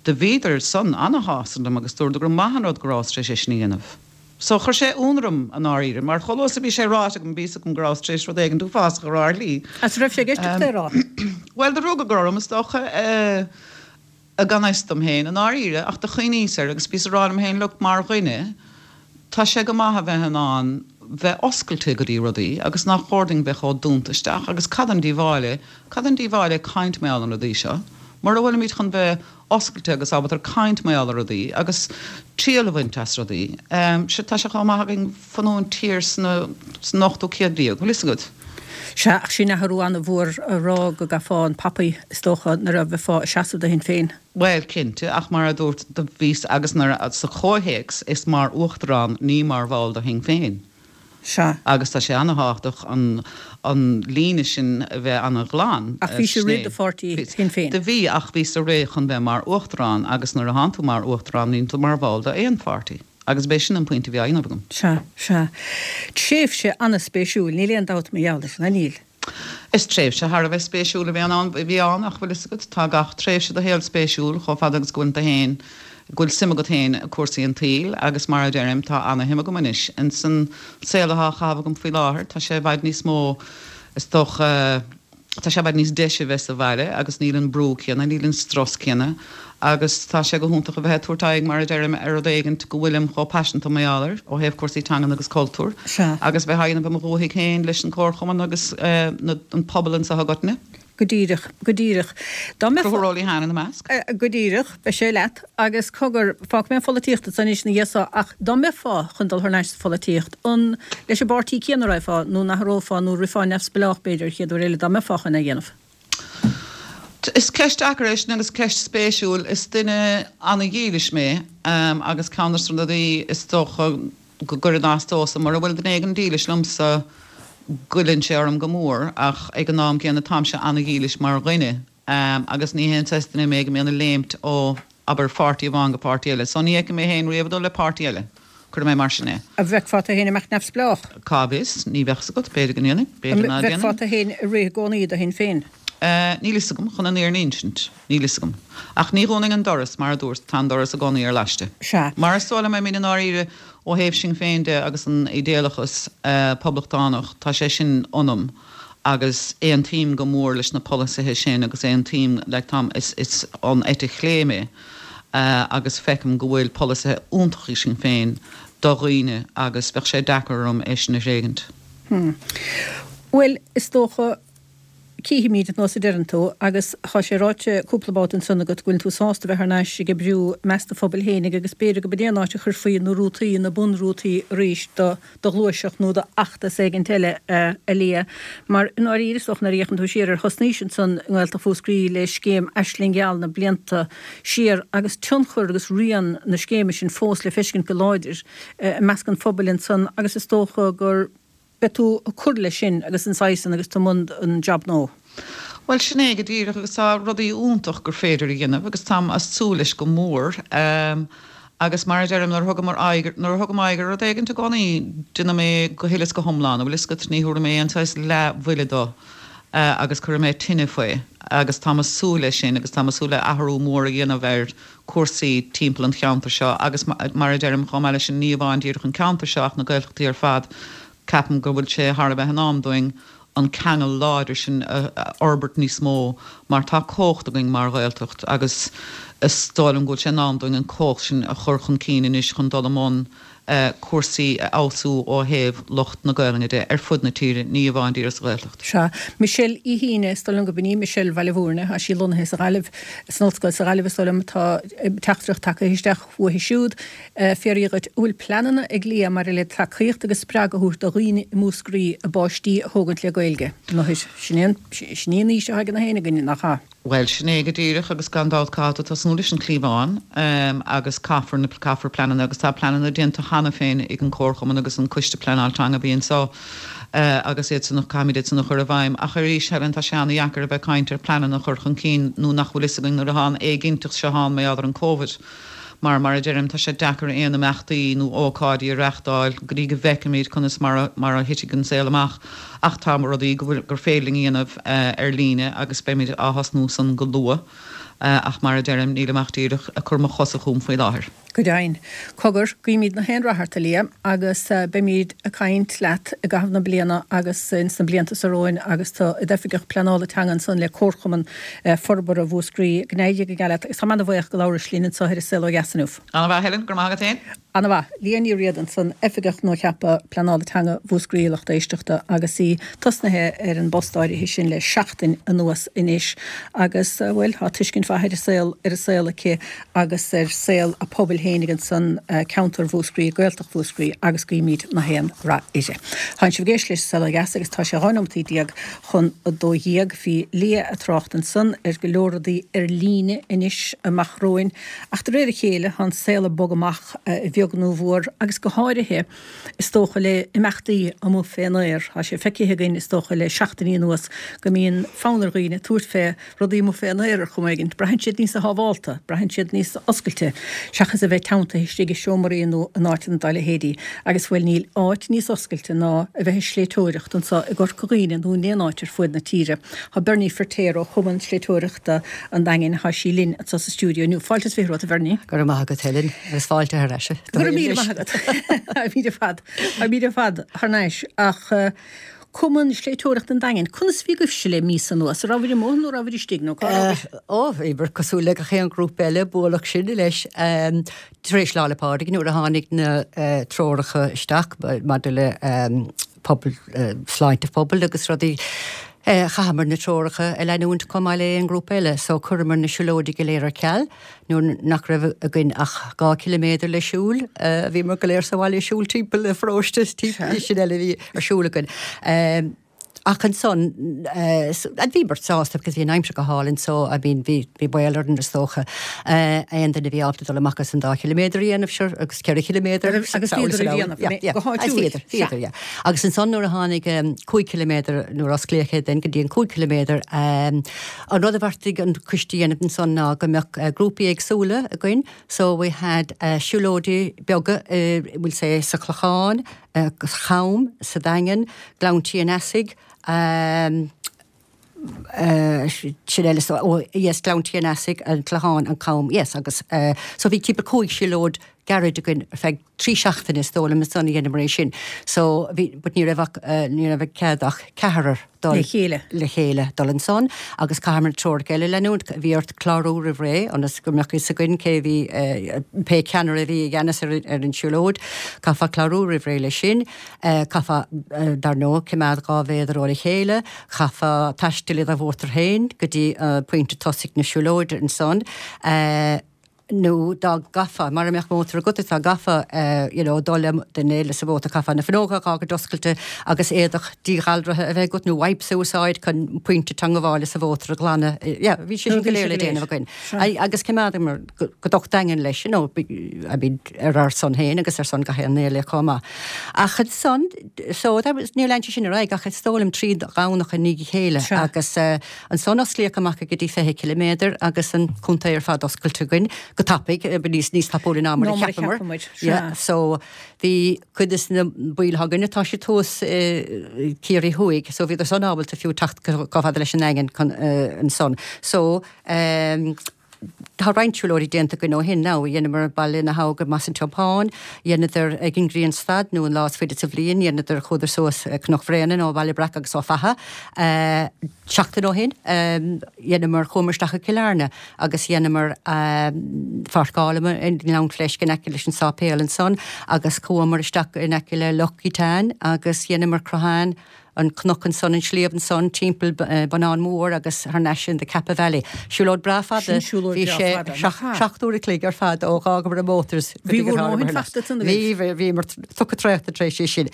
do bhíodar san ana-shásta liom agus dúradar gur maith an rud go rabhas tar éis é sin a dhéanamh. So chuir sé ionadh orm i ndáiríre, mar chomh luath is a bhí sé ráite agam bhí fhios agam go rabhas tar éis rud éigin uafásach a rá ar shlí. Agus raibh sé i gceist agat é a rá? Bhuel, do rug orm is dócha, i gan fhios dom féin i ndáiríre, ach do chuimhníos air agus bhíos ag rá liom féin, look, mar dhuine, tá sé go maith a bheith in ann bheith oscailte go dtí rudaí agus nach chóir dúinn bheith chomh dúnta isteach agus cad an díobháil é, cad an díobháil é caint mar gheall ar na rudaí seo? Mura bhfuilimid chun bheith oscailte agus ábalta caint mar gheall ar rudaí agus triail a bhaint as rudaí, sea, tá sé chomh maith againn fanúint thiar sna, san ochtú céad déag, bhfuil fhios agat? Sea, ach sin athrú an-mhór a rá go gcaithfeá an poppy, is dócha, nuair a bheifeá ag seasamh do Shinn Féin. Bhuel, cinnte, ach mar a dúirt, do bhíos, agus nuair a, sa chomhthéacs, is mar Uachtarán, ní mar bhall de Shinn Féin. Sea. Agus tá sé an-thábhachtach an, an líne sin a bheith an-ghlan. Ach bhís ag rith do pháirtí Shinn Féin. Do bhí, ach bhíos ag rith chun bheith mar Uachtarán agus nuair a thánn tú mar Uachtarán níl tú mar bhall d'aon pháirtí. Agus b'é sin an pointe a bhí á dhéanamh agam. Sea, sea. Tréimhse an-spéisiúil, níl aon dabht mar gheall air sin, ná níl? Is tréimhse thar a bheith spéisiúil a bhí ann, a bhí ann ach bhfuil fhios agat, tá gach tréimhse do shaol spéisiúil chomh fada agus go bhfuil tú féin, go bhfuil suim agat féin i cúrsaí an tsaoil agus mar a deirim, tá ana-shuim agam anois ins an saol atá á chaitheamh agam faoi láthair, tá sé i bhfad níos mó, is dócha, tá sé i bhfad níos deise a bheith sa bhaile agus níl an brú céanna, níl an strus céanna agus tá sé go hiontach a bheith ag tabhairt aghaidh, mar a deirim, ar rud éigint go bhfuilim chomh paiseanta mar gheall air, ó thaobh cúrsaí teangan agus cultúir, agus bheith á dhéanamh i mo dhúthaigh féin leis an Chomharchumann agus an pobal anseo i gcoitinne. Go díreach, go díreach. Dá mbeifeá. Conchúr Ó Liatháin ina measc. Go díreach, beidh sé leat. Agus cogar, fágfaidh mé an pholaitíocht ansan anois ina dhiaidh so, ach dá mbeifeá chun dul thar n-ais sa pholaitíocht, an leis an bpáirtí céanna a raghfá, nó an athrófá, nó rithfeá neamhspleách b'fhéidir, an chéad uair eile, dá mbeifeá chun é a dhéanamh? Is ceist deacair é sin agus ceist spéisiúil. Is duine ana-dhílis mé agus ceann de na rudaí is dócha go gcuireann as domhsa, mura bhfuil duine éigin dílis liomsa, goilleann sé orm go mór ach ag an am gcéanna táimse ana-dhílis mar dhuine agus ní haon saghas duine mé go mbíonn ag léimt ó, abair, pháirtí amháin go páirtí eile. So ní fheicim mé féin riamh ag dul le páirtí eile. Cuirfidh mé mar sin é. An bhfeicfeá tú féin ag imeacht neamhspleách? Cá bhfios? Ní bheadh 's agat. B'fhéidir go ndéanfainn. B'fhéidir ná déanfainn. An bhfeicfeá tú féin ag rith i gcónaí do Shinn Féin? Níl 'fhios agam, chun an fhírinne a insint. Níl 'fhios agam. Ach ní dhúnfainn an doras, mar a dúirt, tá an doras i gcónaí ar laiste. Sea. Mar is dóigh liom, I mean, i ndáiríre, ó thaobh Sinn Féin de agus an idéalachas poblachtánach, tá sé sin ionam agus aontaím go mór leis na polasaithe sin agus aontaím, like, táim, is, is ón eite chlé mé agus feicim go bhfuil polasaithe iontacha ag Sinn Féin do dhaoine agus bheadh sé deacair orm é sin a thréigint. Hmm. Bhuel, is dócha, Cífimid nós a deireann tú, agus tá sé ráite cúpla babhta ansan agat go bhfuil tú sásta bheith thar n-ais ag oibriú i measc do phobail fhéinig agus b'fhéidir go b'in é an áit a chuirfí na rútaí, na bunrútaí arís do do ghluaiseacht nó do fheachtas éigint eile, a Liadh. Mar i ndáiríre is dócha nuair a fhéachann tú siar ar thosnaís ansan i nGaeltacht Mhúscraí le scéim Aisling Gheal na blianta siar agus tionchar agus rian na scéime sin fós le feiscint go láidir i measc an phobail ansan agus is dócha gur Beidh tú ag cur leis sin agus an saghas san agus tú i mbun an job nua. Bhuel, sin é go díreach agus tá rudaí iontach gur féidir a dhéanamh agus táim a' súil leis go mór. Agus mar a deirim, nuair a thugaim aghaidh, nuair a thugaim aghaidh ar rud éigint i gcónaí, déanaim é go huile is go hiomlán, an bhfuil fhios agat, ní thabharfaidh mé aon saghas leathbhuille dó agus cuirfidh mé tine faoi agus táim a' súil leis sin agus táim a' súil le athrú mór a dhéanamh ar cúrsaí timpeall an cheantair seo agus mar a deirim, chomh maith leis sin, ní amháin díreach an ceantar seo ach na Gaeltachtaí ar fad. Ceapaim go bhfuil sé thar a bheith in am dúinn an ceangal láidir sin a fhorbairt níos mó mar tá cumhacht againn mar Ghaeltacht agus is dóigh liom go bhfuil sé in am dúinn an cumhacht sin a chur chun cinn anois chun dul i mbun cúrsaí a fheabhsú ó thaobh lucht na Gaelainne de ar fud na tíre, ní amháin díreach sa Ghaeltacht. Sea. Michelle Uí hUíne, is dóigh liom go b'in í Michelle Bhaile Mhúirne, tá sí lonnaithe sa Ghaillimh, san Ollscoil sa Ghaillimh is dóigh liom, tá teachtaireacht tagtha isteach uaithi siúd. Fiafraí dhuit, an bhfuil pleananna ag Liadh maidir le tacaíocht agus spreagadh a thabhairt do dhaoine i Múscraí a bpáistí a thógaint le Gaeilge? Anois, sin é an, sin í an fhís atá ag na héinne againn, nach ea? Bhuel, sin é go díreach agus gan dabht caithfidh tú tosnú leis an chliabhán agus caithfear na, caithfear pleananna agus tá pleananna déanta cheana féin ag an Comharchumann agus an Coiste Pleanáil Teanga a bhí anseo agus iad san, caithfimid iad san a chur i bhfeidhm. Ach arís, Helen, tá sé ana-dheacair a bheith ag caint ar pleananna a chur chun cinn nuair nach bhfuil fhios againn nuair atá an éiginnteacht seo ann mar gheall ar an Covid. Mar, mar a deirim, tá sé deacair aon imeachtaí nó ócáidí a reachtáil go dtí go bhfeicfimid conas mar a, mar a thitfidh an saol amach. Ach tá rudaí go bhfuil, gur féidir linn a dhéanamh ar líne agus beimid á thosnú san go luath. Ach mar a deirim, nílim ach díreach ag cur mo chosa chugam faoi láthair. Go deimhin. Cogar, guímid na haon rath ort, a Liadh, agus beimid ag caint leat i gcaitheamh na bliana agus ins na blianta seo romhainn agus tú i d'Oifigeach Pleanála Teanga ansan le Comharchumann Forbartha Mhúscraí. Go n-éirí go geal leat agus táim ana-bhuíoch go labhrais linn anseo ar An Saol Ó Dheas inniu. Ana-mhaith, Helen, go raibh maith agat féin. Ana-mhaith. Liadh Ní Riada ansan, Oifigeach nuacheaptha Pleanála Teanga Mhúscraí, a lucht éisteachta, agus í tosnaithe ar an bpost áirithe sin le seachtain anuas anois agus, bhuel, tá tuiscint mhaith ar an saol, ar an saol aici agus ar saol a pobail fhéinig ansan, ceantar Mhúscraí, Gaeltacht Mhúscraí agus guímid na haon rath uirthi. Tánn sibh ag éisteacht leis An Saol Ó Dheas agus tá sé dhá nóimeataí déag chun a dó dhéag. Bhí Liadh ag trácht ansan ar go leor rudaí ar líne anois amach romhainn ach de réir a chéile tá an saol ag bogadh amach, a bheag nó a mhór, agus go háirithe, is dócha, le imeachtaí amuigh fén aer. Tá sé feicthe againn, is dócha, le seachtainí anuas go mbíonn fonn ar dhaoine tabhairt fé rudaí amuigh fén aer ar chuma éigin. Braitheann siad níosa shábhálta, braitheann siad níos oscailte, seachas a bheith teanntaithe istigh i seomraí nó in áiteanna dá leithéidí. Agus, bhuel, níl áit níos oscailte ná a bheith ag sléibhteoireacht anseo i gCorca Dhuibhne nó in aon áit ar fuaid na tíre. Tá Bernie Firtéar ó Chumann Sléibhteoireachta an Daingin, tá sí linn anseo sa stiúideo inniu. Fáilte is fiche romhat, a Bhernie. Go raibh maith agat, Helen, agus fáilte thar ais. Go raibh míle maith agat. Táimid ar fad, táimid ar fad thar n-ais. Ach Cumann Sléibhteoireachta an Daingin, conas a bhí agaibhse le míosa anuas? An rabhaibh amuigh nó rabhaibh istigh nó cá rabhaibh? Ó, bhíomar cosúil le gach aon ghrúpa eile, buaileadh sinn leis. Tar éis Lá 'le Pádraig nuair a tháinig na treoracha isteach maidir le pobal, sláinte phobail agus rudaí, Chaitheamar na treoracha a leanúint chomh maith le aon ghrúpa eile, so chuireamar na siúlóidí go léir ar ceal nuair nach raibh againn ach dhá chiliméadar le siúl. Bhíomar go léir sa bhaile ag siúl timpeall an pharóiste, sin eile a bhí ar siúl againn. Ach ansan, bhíomar sásta because bhí an aimsir go hálainn so I mean bhí bhí baol orainn is dócha aon duine a bhí ábalta dul amach agus an dá chiliméadar a dhéanamh sure agus ceithre chiliméadar. Agus bhíodar a dhéanamh go háitiúil. Bhíodar, bhíodar, yeah. Agus ansan nuair a tháinig cúig chiliméadar, nuair a osclaíodh é then go dtí an cúig chiliméadar, an rud a bheartaigh an coiste a dhéanamh ansan ná go mbeadh grúpaí éagsúla againn, so we had siúlóidí beaga, we'll say sa Chlochán, sa Cham, sa Daingean, Gleann Tí an Easaigh, sin eile, so, oh yes, Gleann Tí an Easaigh, an Clochán, an Cam, yes, agus so bhí timpeall cúig siúlóid gairid againn ar feadh trí seachtaine is dóigh liom ansan a dheineamar é sin. So bhí, but ní raibh ach, ní raibh cead ach ceathrar dul le chéile le chéile dul ansan agus chaitheamar na treoracha eile a leanúint. Bhí ort clárú roimh ré ionas go mbeadh fhios againn cé bhí, pé ceannaire a bhí i gceannas ar ar an siúlóid. Chaithfeá clárú roimh ré leis sin. Chaithfeá, dar ndóigh, coimeád dhá mhéadar óna chéile. Chaithfeá taisteal i do mhótar féin go dtí pointe tosaigh na siúlóide ansan. Nó dá gcaithfeá, mara mbeadh mótar agat is dá gcaithfeá you know dul le duine eile sa mhótar, chaithfeá na fuinneoga a dh'fhágaint oscailte agus éadach díghalraithe a bheith agat nó wipes a úsáid chun pointe teangabhála sa mhótar a ghlanadh. Yeah, bhí sé sin go léir le déanamh againn. Agus choimeádamar go docht daingean leis, you know, I mean ar ár son féin agus ar son gach aon duine eile chomh maith. Ach ansan, so that was, níor lean sé sin ar aghaidh ach is dóigh liom trí Dhomhnach i ndiaidh a chéile agus ansan osclaíodh amach go dtí fiche ciliméadar agus an contae ar fad oscailte againn. go tapaidh, níos níos tapúla ná mar a cheapamar. Yeah, so bhí cuid des na baill againne, tá siad thuas i Ciarraí Thuaidh, so bhíodar san ábalta fiú teacht chomh fada leis an nDaingean ansan. So ehm tá roinnt siúlóidí déanta againn ó shin now, dheineamar Baile na hAbha go Maigh an Tiompáin, dheineadar ag an Ghrianstad nó an lá is faide sa bhliain, dheineadar chuadar suas Cnoc Bhréanainn ó Bhaile Breac agus ó Fatha. Seachtain ó shin dheineamar, chuamar isteach go Cill Airne agus dheineamar pháirceálamar i nGleann Fleisce in aice leis an sáipéal ansan agus chuamar isteach in aice le Loch Gíotáin agus dheineamar Crochán, an cnoc ansan, an sliabh ansan, timpeall Bonnán Mór agus thar n-ais in the Cappagh Valley. Siúlóid breá fada, Sin siúlóid bhí breá sé fada, nach ea? seacht uair a chloig ar fad ó dh'fhágamar an mótar go Bhí dtí gur bhur ndóthain tháingamar thar n-ais. fachta ansan Bhí, agaibh. bhíomar tugtha traochta tar éis é sin.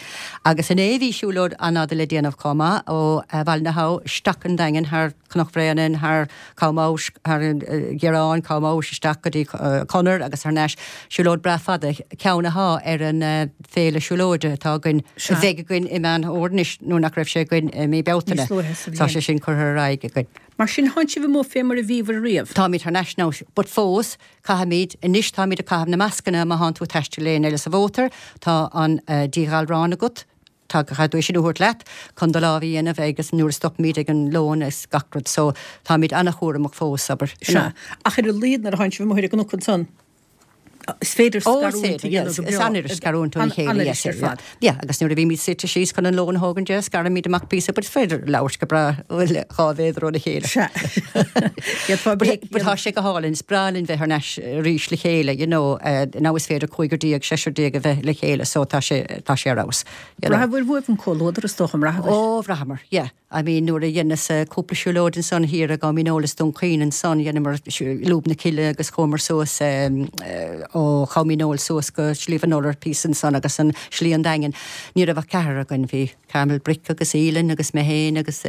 Agus inné bhí siúlóid an-fhada le déanamh chomh maith, ó Bhaile na hAbha isteach an Daingean thar Cnoc Bhréanainn, thar Com Abhais, thar an Ghearán, Com Abhais isteach go dtí Conair agus thar n-ais. Siúlóid breá fada, ceann athá ar an féile siúlóide atá againn, a bheidh againn i Meán Fhómhair anois nuair nach raibh sé againn i mí Bealtaine. Níos luaithe sa Tá sé bhliain. sin curtha ar aghaidh againn. Mar sin, thánn sibh amuigh fé mar a bhíobhair riamh. Táimid thar n-ais now, but fós, caithfimid, anois táimid ag caitheamh na mascanna má thánn tú ag taisteal le éinne eile sa mhótar, tá an díghalrán agat, tá, caithfidh tú é sin a thabhairt leat chun do lámh a dhéanamh agus nuair a stopaimid ag an lón is gach rud, so táimid an-chúramach fós, abair, you know. Sea, ach ar a laghad nuair a thánn sibh amuigh ar an gcnoc ansan, Is féidir Ó, is scarúint a féidir, yeah, dhéanamh go is breá. an-fhuirist scarúint óna chéile, An-fhuirist yes, ar yeah. fad. Yeah, agus nuair a bhímid suite síos chun an lón a thógaint, yeah, scaraimid amach píosa, but is féidir labhairt go breá le dhá mhéadar óna chéile. Sea. D'fhéadfá But béic a but tá dhéanamh. sé go hálainn, is breá linn bheith thar n-ais arís le chéile, you know, eh, now is féidir cúigear déag, seisear déag a bheith le chéile, so tá sé, tá sé ar fheabhas, you know. Bhraitheabhair uaibh an comhluadar, is dócha, an mbraitheabhair? Ó, bhraitheamar, yeah. I mean nuair a dheineas cúpla siúlóid ansan thiar i gCom Mín Óil is Dún Chaoin ansan, dheineamar Lúb na Cille agus chuamar suas ó Chom Mín Óil suas go Sliabh an Iolair píosa ansan agus an Slí an Daingin. Ní raibh ach ceathrar againn, bhí Carmel Brick agus Aoileann agus mé féin agus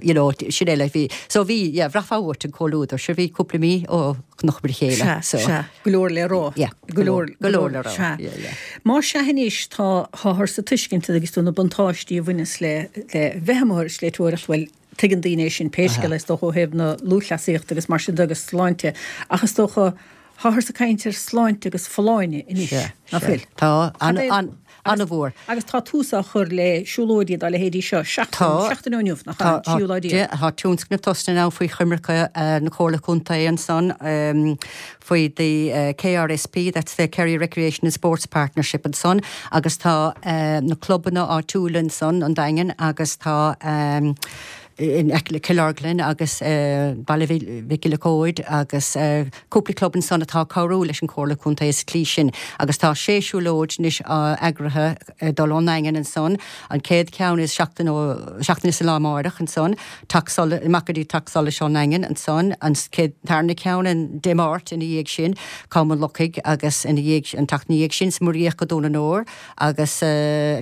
you know sin é like bhí, so bhí, yeah, bhraithfeá uait an comhluadar, sure bhí cúpla mí ó chonaiceamar a chéile Sea, so. sea, go leor le rá. Yeah, Go leor, go leor le rá, sea. yeah, yeah. Más sea anois, tá, táthar sa tuiscint agus tú na buntáistí a bhaineas le, le bheith amuigh ar sléibhteoireacht, bhuel, tuigeann daoine é sin pé scéal é, is dócha ó thaobh na lúthchleasaíochta agus mar sin de agus sláinte, ach is dócha, táthar ag caint ar sláinte agus folláine anois, Sea, nach sea. bhfuil? Tá, Cad é- an, an, an-mhór. Agus tá tús á chur le siúlóidí dá leithéidí seo, seachtain, Tá. seachtain ó inniu, nach Tá, ea, tríú lá déag. tá tionscnamh tosaithe now faoi choimirce na Comhairle Contae ansan faoi the KRSP, that's the Kerry Recreation and Sports Partnership ansan, agus tá na clubanna áitiúla ansan, an Daingean, agus tá in aice le Cill Orglan agus Baile Mhic Giolla Chóid agus cúpla club ansan atá ag cabhrú leis an Chomhairle Contae sa tslí sin agus tá sé siúlóid anois eagraithe ag dul ón nDaingean ansan. An chéad cheann is seachtain ó seachtain is an lá amárach ansan, Teach Solais, amach go dtí Teach Solais ón nDaingean ansan, an chéad tarna ceann an Dé Máirt ina dhiaidh sin, Com an Lochaigh agus ina dhiaidh an tseachtain ina dhiaidh sin sa Muiríoch go Dún an Óir agus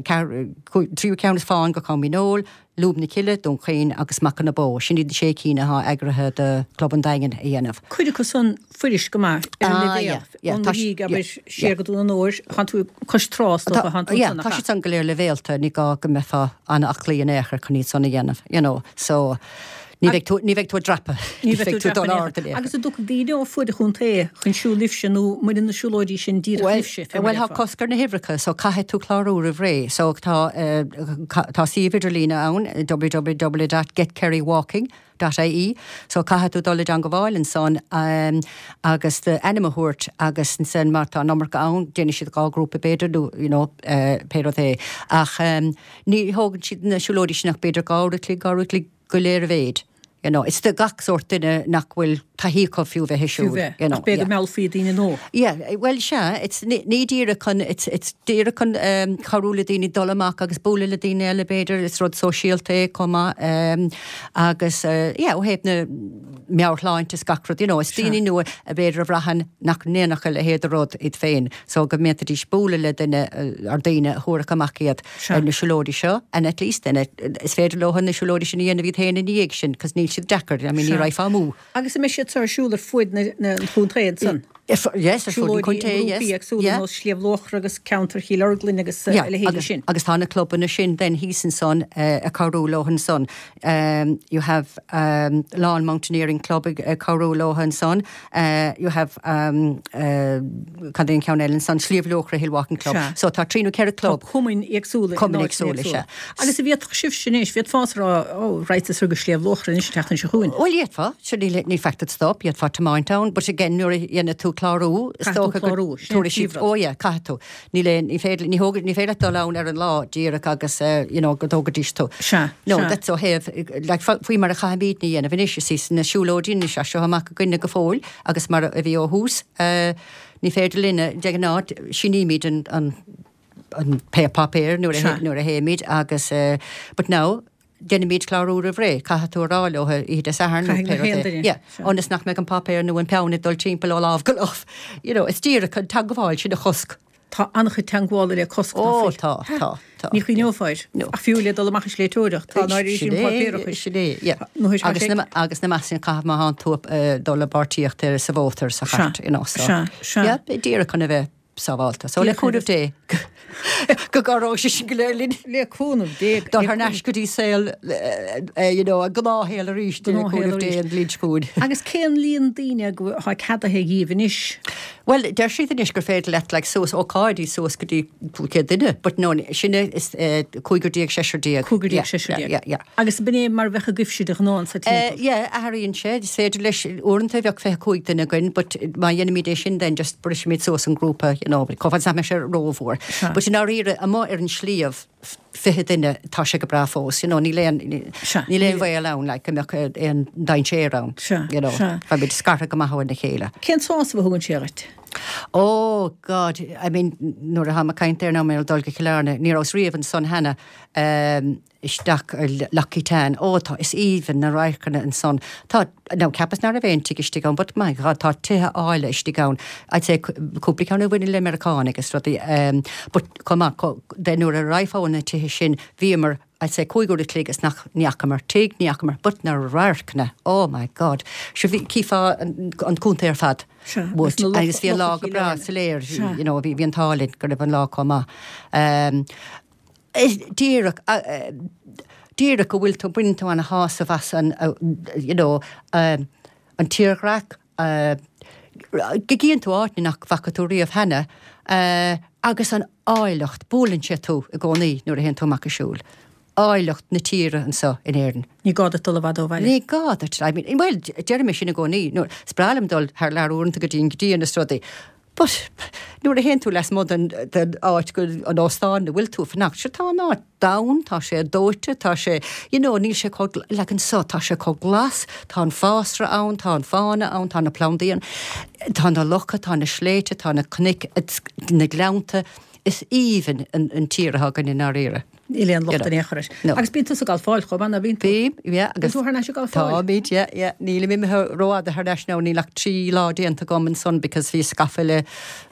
tríú ceann is fán go Com Mín Óil, Lúb na Cille, Dún Chaoin agus Macha na Bó. Sin iad na sé cinn atá eagraithe do Chlub an Daingin a dhéanamh. Cuid acu san fuirist go maith ar an Ah, leibhéal. yeah, yeah, Ón tá Mhuiríoch, yeah, abair, siar yeah. go Dún an Óir, thánn tú cois trá, is dócha, thánn tú Yeah, ansan, nach tá ea? siad san go léir leibhéalta, ní gá go mbeifeá an-aclaí in aon chor chun iad san a dhéanamh, you know, so Ní bheidh tú ní bheidh tú ag dreapadh. Ní bheidh tú dul dreapadh ard in aon chor. Agus an dtiocfaidh daoine ó fuaid an chontae chun siúl libhse nó mbaineann na siúlóidí sin díreach libhse, fé mar Bhuel, tá déarfá? cosc ar na huimhreacha, so caithfidh tú clárú roimh ré. So tá eh, tá suíomh idirlíne ann, www dot getkerrywalking dot ie, so caithfidh tú dul i dteangmháil ansan um, agus d'ainm a thabhairt agus ansan má tá an iomarca ann, déanfaidh siad dhá ghrúpa b'fhéidir nó you know, uh, pé rud é. Ach um, ní thógann siad na siúlóidí sin ach b'fhéidir dhá uair a chloig, dhá uair a chloig go léir a mhéid. You know, it's do gach sórt duine nach bhfuil taithí acu fiú bheith ag Fiú siúl, bheith, you know, ach b'fhéidir yeah. go meallfaí daoine nua. Yeah, well sea, it's ní ní díreach chun it's it's díreach chun um, cabhrú le daoine dul amach agus bualadh le daoine eile b'fhéidir, is rud sóisialta é chomh maith um, agus uh, yeah, ó thaobh na meabhairshláinte is gach rud, you know, is daoine nua a b'fhéidir a bhraitheann nach ndéanfadh a leithéid de rud iad féin, so go mb'fhéidir bualadh le duine uh, ar daoine a thabharfadh amach iad Sea. ar na siúlóidí seo, and at least then it, is féidir leo na siúlóidí sin a dhéanamh iad féin ina dhiaidh sin, cos níl siad deacair, I mean, ní Sea. raghfá amú. Agus an mbeidh siad seo ar siúl ar fuaid na, na an chontae ansan? If, yes, ar fud an Siúlóidí chontae, i yes. ngrúpaí éagsúla Yeah. nós Sliabh Luachra agus ceantar Chill Orglan agus uh, Yeah, a leithéidí agus, sin. agus tá na clubanna sin then thíos ansan uh, ag cabhrú leo ansan. Um, you have um, Lawn Mountaineering Club ag ag cabhrú leo ansan. Uh, you have um, uh, cad é an ceann eile ansan Sliabh Luachra Hill Walking Club. Sea. So tá trí nó ceithre club. Cumainn éagsúla. in Cumainn áiteanna éagsúla, éagsúla. sea. Agus a bhíodh sibh sin éis, bhíod fás rá ó raite sur go Sliabh Luachra anois teachtain se chugainn. Well, d'fhéadfá, sure níl níl faic that stop, d'fhéadfá tiomáint ann, but again nuair a dhéanann tú clárú, is Caithfidh tú dócha go clárú, sin tabharfaidh siad- príomhrud. Ó yeah, caithfidh tú. Níl aon- ní féidir ní thóg- ní féidir leat dul ann ar an lá díreach agus uh, you know, go dtógaidís tú. Sea, No, sea. that's ó thaobh, like, fa- faoi mar a chaithimid ní dhéanamh anois, is na siúlóidí anois as seo amach againne go fóill agus mar a bhí ó thús, uh, ní féidir linne de ghnáth sínímid an, an, an pé páipéar nuair a Sea. hé- nuair a théimid agus uh, but now déanaimid clárú roimh ré, caithfidh tú a rá leo oíche Dé Sathairn nó Caithfidh na pé rud é. haon duine. Yeah, Sea. ionas nach mbeidh an páipéar nó an peann ag dul timpeall ó lámh go lámh. You know, is díreach an teagmháil sin a chosc. Tá an-chuid teagmhála le cosc Ó, tá, tá, tá. Ní chuimhneofá. No. Ach fiú le dul amach ag sléibhteoireacht, tá náirí sin Sin é, páipéarachais. sin é, yeah. Nó is Agus sé- na, agus na measain caithfidh má tánn tú uh, dul le páirtíocht ar sa bhóthar sa chairt, you know, so. Sea, sea. Yeah, díreach chun a bheith sábháilte. So le Díreach chun cúnamh Dé go gcabhróidh sé sin go léir linn. Le cúnamh Dé. Dul thar n-ais go dtí saol, eh, eh, you know, a gnáthshaol arís le Gnáthshaol cúnamh Dé arís. an bhliain seo chugainn. Agus cén líon daoine go atá ceadaithe agaibh anois? Well, deir siad anois gur féidir leat like, suas ócáidí suas go dtí cúig chéad duine, but no, sin is eh, cúigear déag seisear déag. Cúigear déag Yeah, seisear déag. Yeah, yeah, yeah. Agus b'in é mar a bheadh agaibhse de ghnáth sa Uh, timpeall. yeah, athraíonn sé, is féidir leis uaireanta bheadh fiche cúig duine againn, but má dhéanaimid é sin then just brisimid suas an grúpa, you know, chomh fada is nach mbeidh sé rómhór. Sea. But in áiríre amuigh ar an sliabh fiche duine tá sé go breá fós, you know, níl aon Sea. níl aon bhaol ann, like, go mbeadh aon dainséar ann, Sea, you know, sea. Beimid scartha go maith óna chéile. Cén sásamh a thugann sé dhuit? Oh God, I mean, nuair atá mé ag caint air ná mé dul go Cill Airne, ní rabhas riamh ansan cheana um, isteach ar Lough Etan. Ó tá is aoibhinn na radharcanna ansan. Tá no, ceapas nach raibh aon tigh istigh ann, but my God, tá tithe áille istigh ann. I'd say cúpla ceann a bhaineann le Meiriceánaigh agus rudaí. Um, but chomh maith, co- de nuair a raghfá na tithe sin, bhíomar I'd say cúig uair a chloig is nach ní fhacamar tigh, ní fhacamar, but na radharcanna. Oh my God. Sure bhí chífeá an, an contae ar fad. Sea, Would. agus na Agus bhí an lá locha go breá Chill Airne. soiléir, Sea. you know, bhí bhí an t-ádh linn go raibh an lá chomh maith. Um, is díreach uh, uh, díreach go bhfuil tú baineann tú an-shásamh as an uh, you know, um, an tírdhreach, uh, go gcíonn tú áit nach bhfaca tú riamh cheana, uh, agus an áilleacht buaileann sé tú i gcónaí nuair a théann tú amach ag siúl. Áilleacht na tíre anseo in Éirinn. Ní gá duit dul i bhfad ó bhaile. Ní gá duit, I mean, well, deirim sin i gcónaí, nuair is breá liom dul thar lear uaireanta go dtí an dtí na rudaí. But nuair a théann tú lasmuigh den den áit go an óstán a bhfuil tú fanacht, sure tá an áit donn, tá sé dóite, tá sé, you know, níl sé chomh like anseo, tá sé chomh glas, tá an fásra ann, tá an fána ann, tá na plandaí ann, tá na locha, tá na sléibhte, tá na cnoic, it's- na gleannta, is aoibhinn an, an tír atá againn i ndáiríre. Níl aon locht You know. in aon chor air. No. Agus bíonn tú ag galfáil chomh maith, ná bíonn tú? Bím, yeah, agus tú thar n-ais ag galfáil? Táimid, yeah, yeah. Nílim imithe rófhada thar n-ais now, níl ach trí lá déanta agam ansan because bhí scaifte le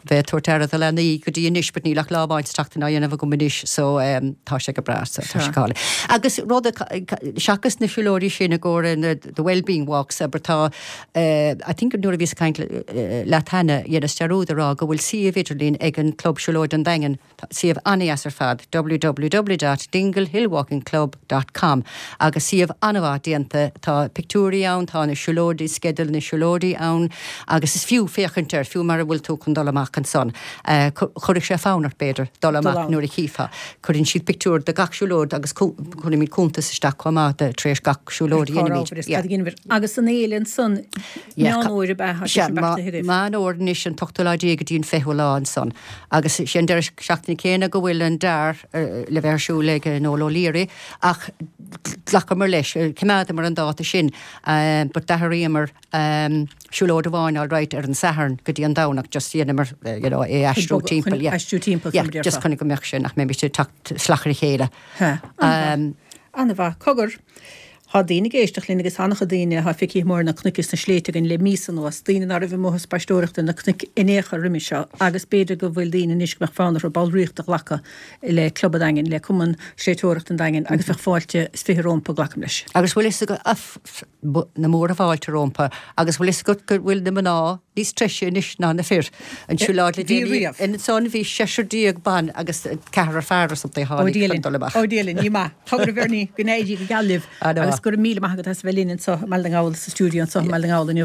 bheith ag tabhairt aire do leanaí go dtí anois, but níl ach lá amháin sa tseachtain á dhéanamh agam anois, so um, tá sé go breá, so tá sé Sure. cáil. Agus rud a ca- ca- seachas na siúlóidí sin i gcomhair na the well-being walks, aber tá, uh, I think nuair a bhíos ag caint le- leat cheana, dhéanas dearúd a rá go bhfuil suíomh idirlín ag an Club Siúlóid an Daingean, Tá suíomh an-deas ar fad, www dot dingle hillwalking club dot com agus suíomh an-mhaith déanta, tá pictiúirí ann, tá na siúlóidí, sceideal na siúlóidí ann agus is fiú féachaint air, fiú mara bhfuil tú chun dul amach ansan. Chuirfeadh sé fonn ort, b'fhéidir, dul amach nuair a chífeá. Cuireann siad pictiúr de gach siúlóid agus cuirimid cuntas isteach chomh maith de tar éis gach siúlóid a dhéanaimid. Agus an fhéile ansan, Meán Fhómhair ab ea? Tá sé sin beartaithe roimh. Meán Fhómhair anois an t-ochtú lá déag go dtí an fichiú lá ansan. Agus sé an deireadh seachtaine céanna go bhfuil an DAR le bheith ar siúl ag Noel O'Leary ach ghlacamar leis, choimeádamar an dáta sin but d'athraíomar siúlóid amháin all right ar an Satharn go dtí an Domhnach just dhéanamar you know é aistriú timpeall yeah. Aistriú timpeall yeah just chun go mbeadh sé nach mbeimid ag teacht salach ar a chéile. An-mhaith. Cogar. Tá daoine ag éisteacht linn agus an-chuid daoine atá feicthe amuigh ar na cnoic is na sléibhte againn le míosa anuas, daoine ná raibh amuigh ag spaisteoireacht ar na cnoic in aon chor roimis seo agus b'fhéidir go bhfuil daoine anois go mbeadh fonn orthu ballraíocht a ghlacadh le Club an Daingin, le Cumann Sléibhteoireachta an Daingin agus bheadh fáilte is fiche rómpa, glacaim leis. Agus bhfuil fhios agat, na móra fáilte rómpa, agus bhfuil fhios agat go bhfuil na mná níos treise anois ná na fir. An siúlóid le Bhí déanaí riamh. Ansan bhí seisear déag ban agus ceathrar fear or something a Ó tháinig Dia chun linn. dul amach. Ó Dia linn. Ní maith. Cogar a Bhernie, go n-éirí go geal libh Ana agus mhaith. go raibh míle maith agat as a bheith linn anseo i mBaile na nGall sa stiúideo anseo i mBaile na nGall inniu.